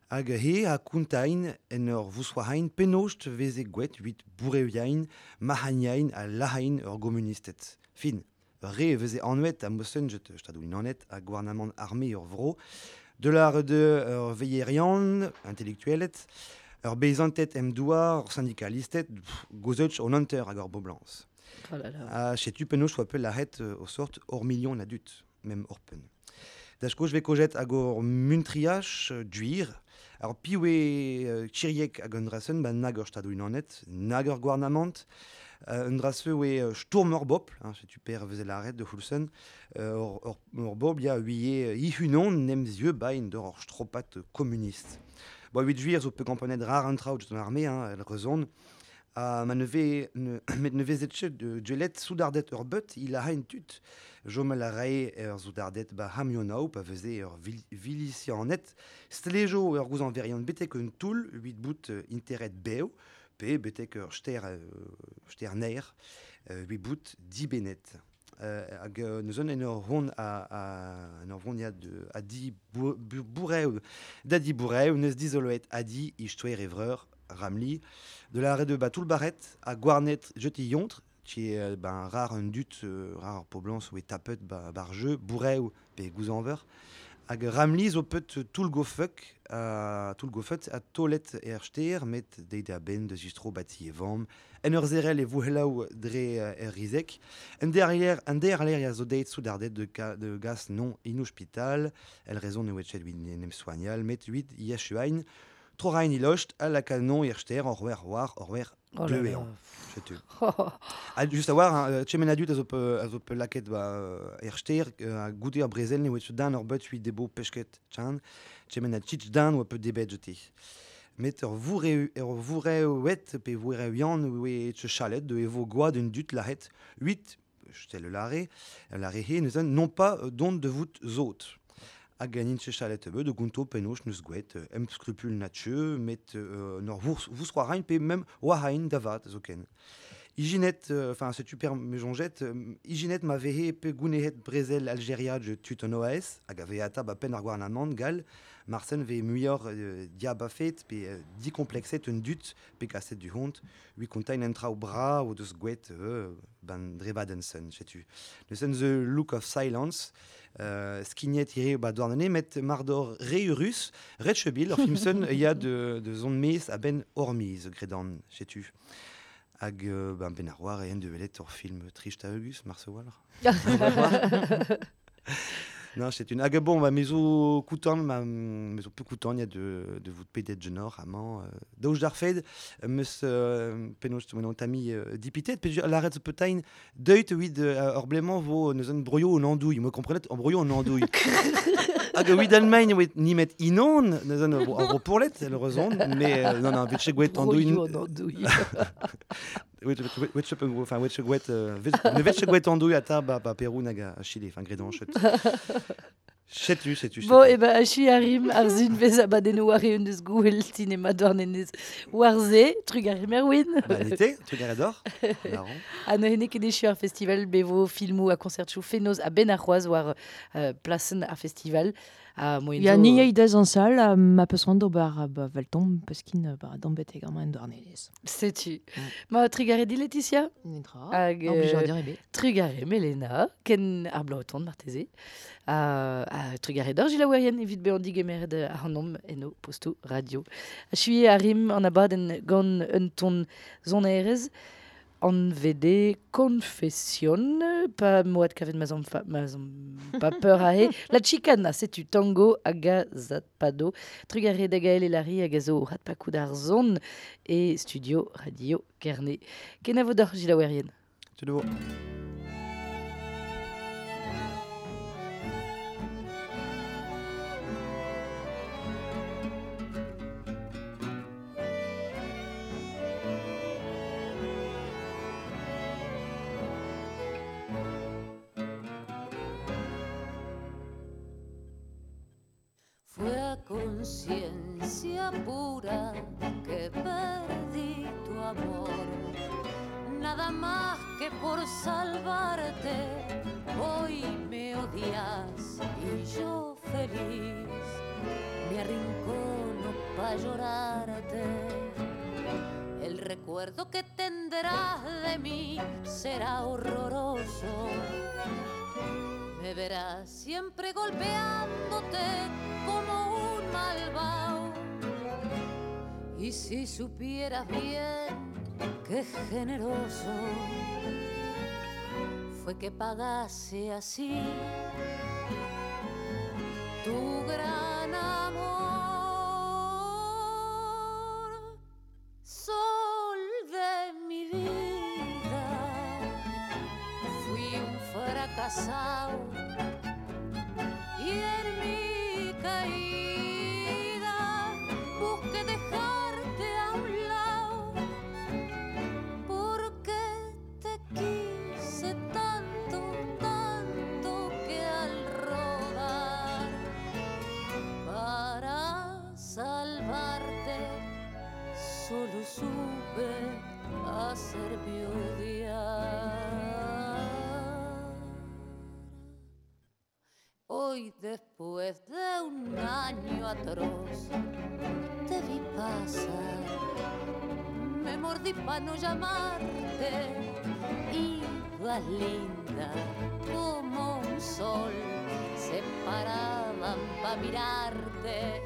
hag he a kountain en ur vouswahain pennost veze gwet huit boureuiain, mahagnain a lahain ur gomunistet. Fin, re veze anwet a mosen jet stadou inanet a gouarnamant armé ur vro, de l'art de ur veillerian, intellectuelet, ur beizantet em douar, ur syndicalistet, pff, gozeuch on hunter hag ur boblans. Oh là là. A chetu penaos oa peul lahet euh, o sort ur million adut, mem ur pen. Dach koz ve kojet hag ur muntriach euh, duir, ar piwe euh, tchiriek hag un drasen, ba nag ur stadou unanet, nag ur gouarnamant, euh, un drase oe euh, stourm ur bobl, hein, setu per veze laret de Hulsen, euh, ur, ur, ur bobl ya huie euh, ihunon nem zieu bain d'ur ur stropat communiste. Bo huit juir zo pe kamponet rar an traout an armée, hein, el rezon, a ma ne ve, ne, met ne vezet chet de djelet soudardet ur beut, il a hain tut. Jomel a rae ur soudardet ba hamionao, pa veze ur vil, vilicianet, stlejo ur gouzan verian betek un toul, huit bout euh, interet beo, pe betek ur ster, euh, ster ner, euh, huit bout dibenet. Euh, hag euh, neus en ur hon a, a, en ur vont ya de, a di bou, bou, boureu, da di boureu, neus dizoloet a di istoer evreur, Ramli, de la de ba tout le barret à Gouarnet jeti yontre qui est euh, ben rare un dut euh, rare poblans ou tapet ba barjeu boureu pe gouzanver Hag Ramli zo pet toull gofek, uh, toull gofet a tolet er ster, met deit a ben de zistro bati e vamm. En ur zerel e vouhelaou dre er rizek. En derrière, en derrière ya zo deit soudardet de, ka, de gas non in hospital. El rezon ne wetchet wit nem soignal, met wit yeshuain. Trorain ilocht a la canon er ster or wer war or wer Oh là deux là. an. Setu. Ah, just a war, hein, tchemen adut a zo pe, a zo pe laket ba er ster, a goude ar brezel ne oet dan ur bet huit debo peshket chan, tchemen a tchitch dan oa pe debet jete. Met ur voure, ur voure oet pe voure uan oe etche chalet de evo goad un dut lahet huit, jetel le lare, lare he, neus non pas don de vout zot. Hag an intche chalet ebe, de gonto penoch neus gwet, em scrupule natche, met euh, nor vous, vous roarain pe mem oarain davat zoken. Iginet, enfin euh, setu per me jonjet, euh, iginet ma vehe pe gounehet brezel Algeria je tut an O A S, hag a veata ba pen ar gouarnamant gal, marsen ve muior euh, diabafet pe euh, dikomplexet un dut pe kaset du hont, ui kontain en traoù bra o deus gwet euh, ban drebadensen, setu. Neuzen The Look of Silence, euh, skignet ire ba douarnene, met mardor reurus, retchebil, ur filmsen ya de, de zon mez a ben ormiz, gredan, setu. Hag euh, ben ben ar war e en de velet ur film trist a eugus, marse war. Non, c'est une hag bon, ba mezo koutan, ma mezo peu koutan, ya de de vout pedet genor amañ euh, daouj d'ar fed, meus euh, penaos menon tami euh, dipitet, pe laret zo petain deuit oid euh, ur blemañ vo neus an broio an andouille, me komprenet an broio an andouille. Hag oid Allemagne oet nimet inon, neus an ur ro pourlet, le rezon, mais euh, non non, vetche gwet andouille. Broio an andouille. Wet wet enfin wet gwet ne vetche gwet andouille ata ba ba Perou nag a Chile, enfin gredan chet. Setu, setu, Bon, e ba, achi arim ar zun vez abadennoù war eun deus gouel cinema douarnenez war ze, trugarez Erwin. Ba, nete, trugarez d'or. Ha neuze ket echu ar festival bevo filmoù a konsertchoù fenoz a ben ar c'hoaz war euh, plasen ar festival. A moyen Ya zo... ni eidez an sal, a ma peus c'hoant d'ober a ba veltomp, peus kin ba d'ambet amañ en douarnenez. Setu. Ma trugarez di Laetitia. Netra. Hag, Ur blijadur euh, ebet. Trugarez Melena, ken ar bloaton marteze. A, a trugarez d'or Gila Werien evit bezañ digemeret ar an eno posto radio. Achuier a rim an abadenn gant un ton zonerez an V D Confession, pa moat kavet ma zom fa, ma zom pa peur a he. La chicana, setu tango hag a zatpado. Trugarez da Gaël Elari hag a zo rat pakout ar zon e studio Radio Kerne. Kenavo d'or Gila Werien. Tudo. Fue a conciencia pura que perdí tu amor, nada más que por salvarte. Hoy me odias y yo feliz me arrincono pa' llorarte. El recuerdo que tendrás de mí será horroroso. Me verás siempre golpeándote como un malvado. Y si supieras bien qué generoso fue que pagase así tu gran amor, sol de mi vida. Fui un fracasado y en mi caída busqué dejarte a un lado, porque te quise tanto, tanto que al rodar para salvarte solo supe hacerme odiar. Hoy después de un año atroz te vi pasar, me mordí pa' no llamarte. Ibas linda como un sol, se paraba dan pa' mirarte.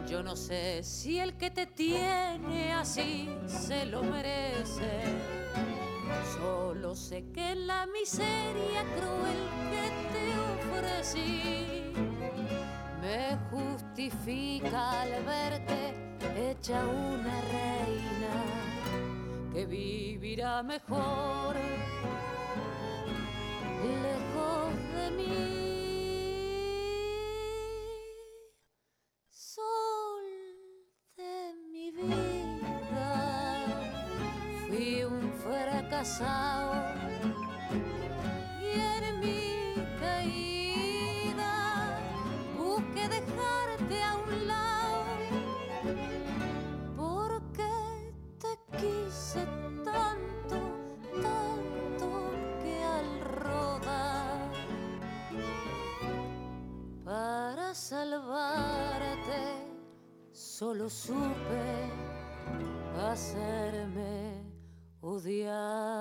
Yo no sé si el que te tiene así se lo merece. Solo sé que la miseria cruel que te ofrecí me justifica al verte hecha una reina que vivirá mejor lejos de mí. Sol de mi vida, fui un fracasado y en mi caída busqué dejarte a un lado porque te quise tanto, tanto que al rodar para salvarte solo supe hacerme odiar.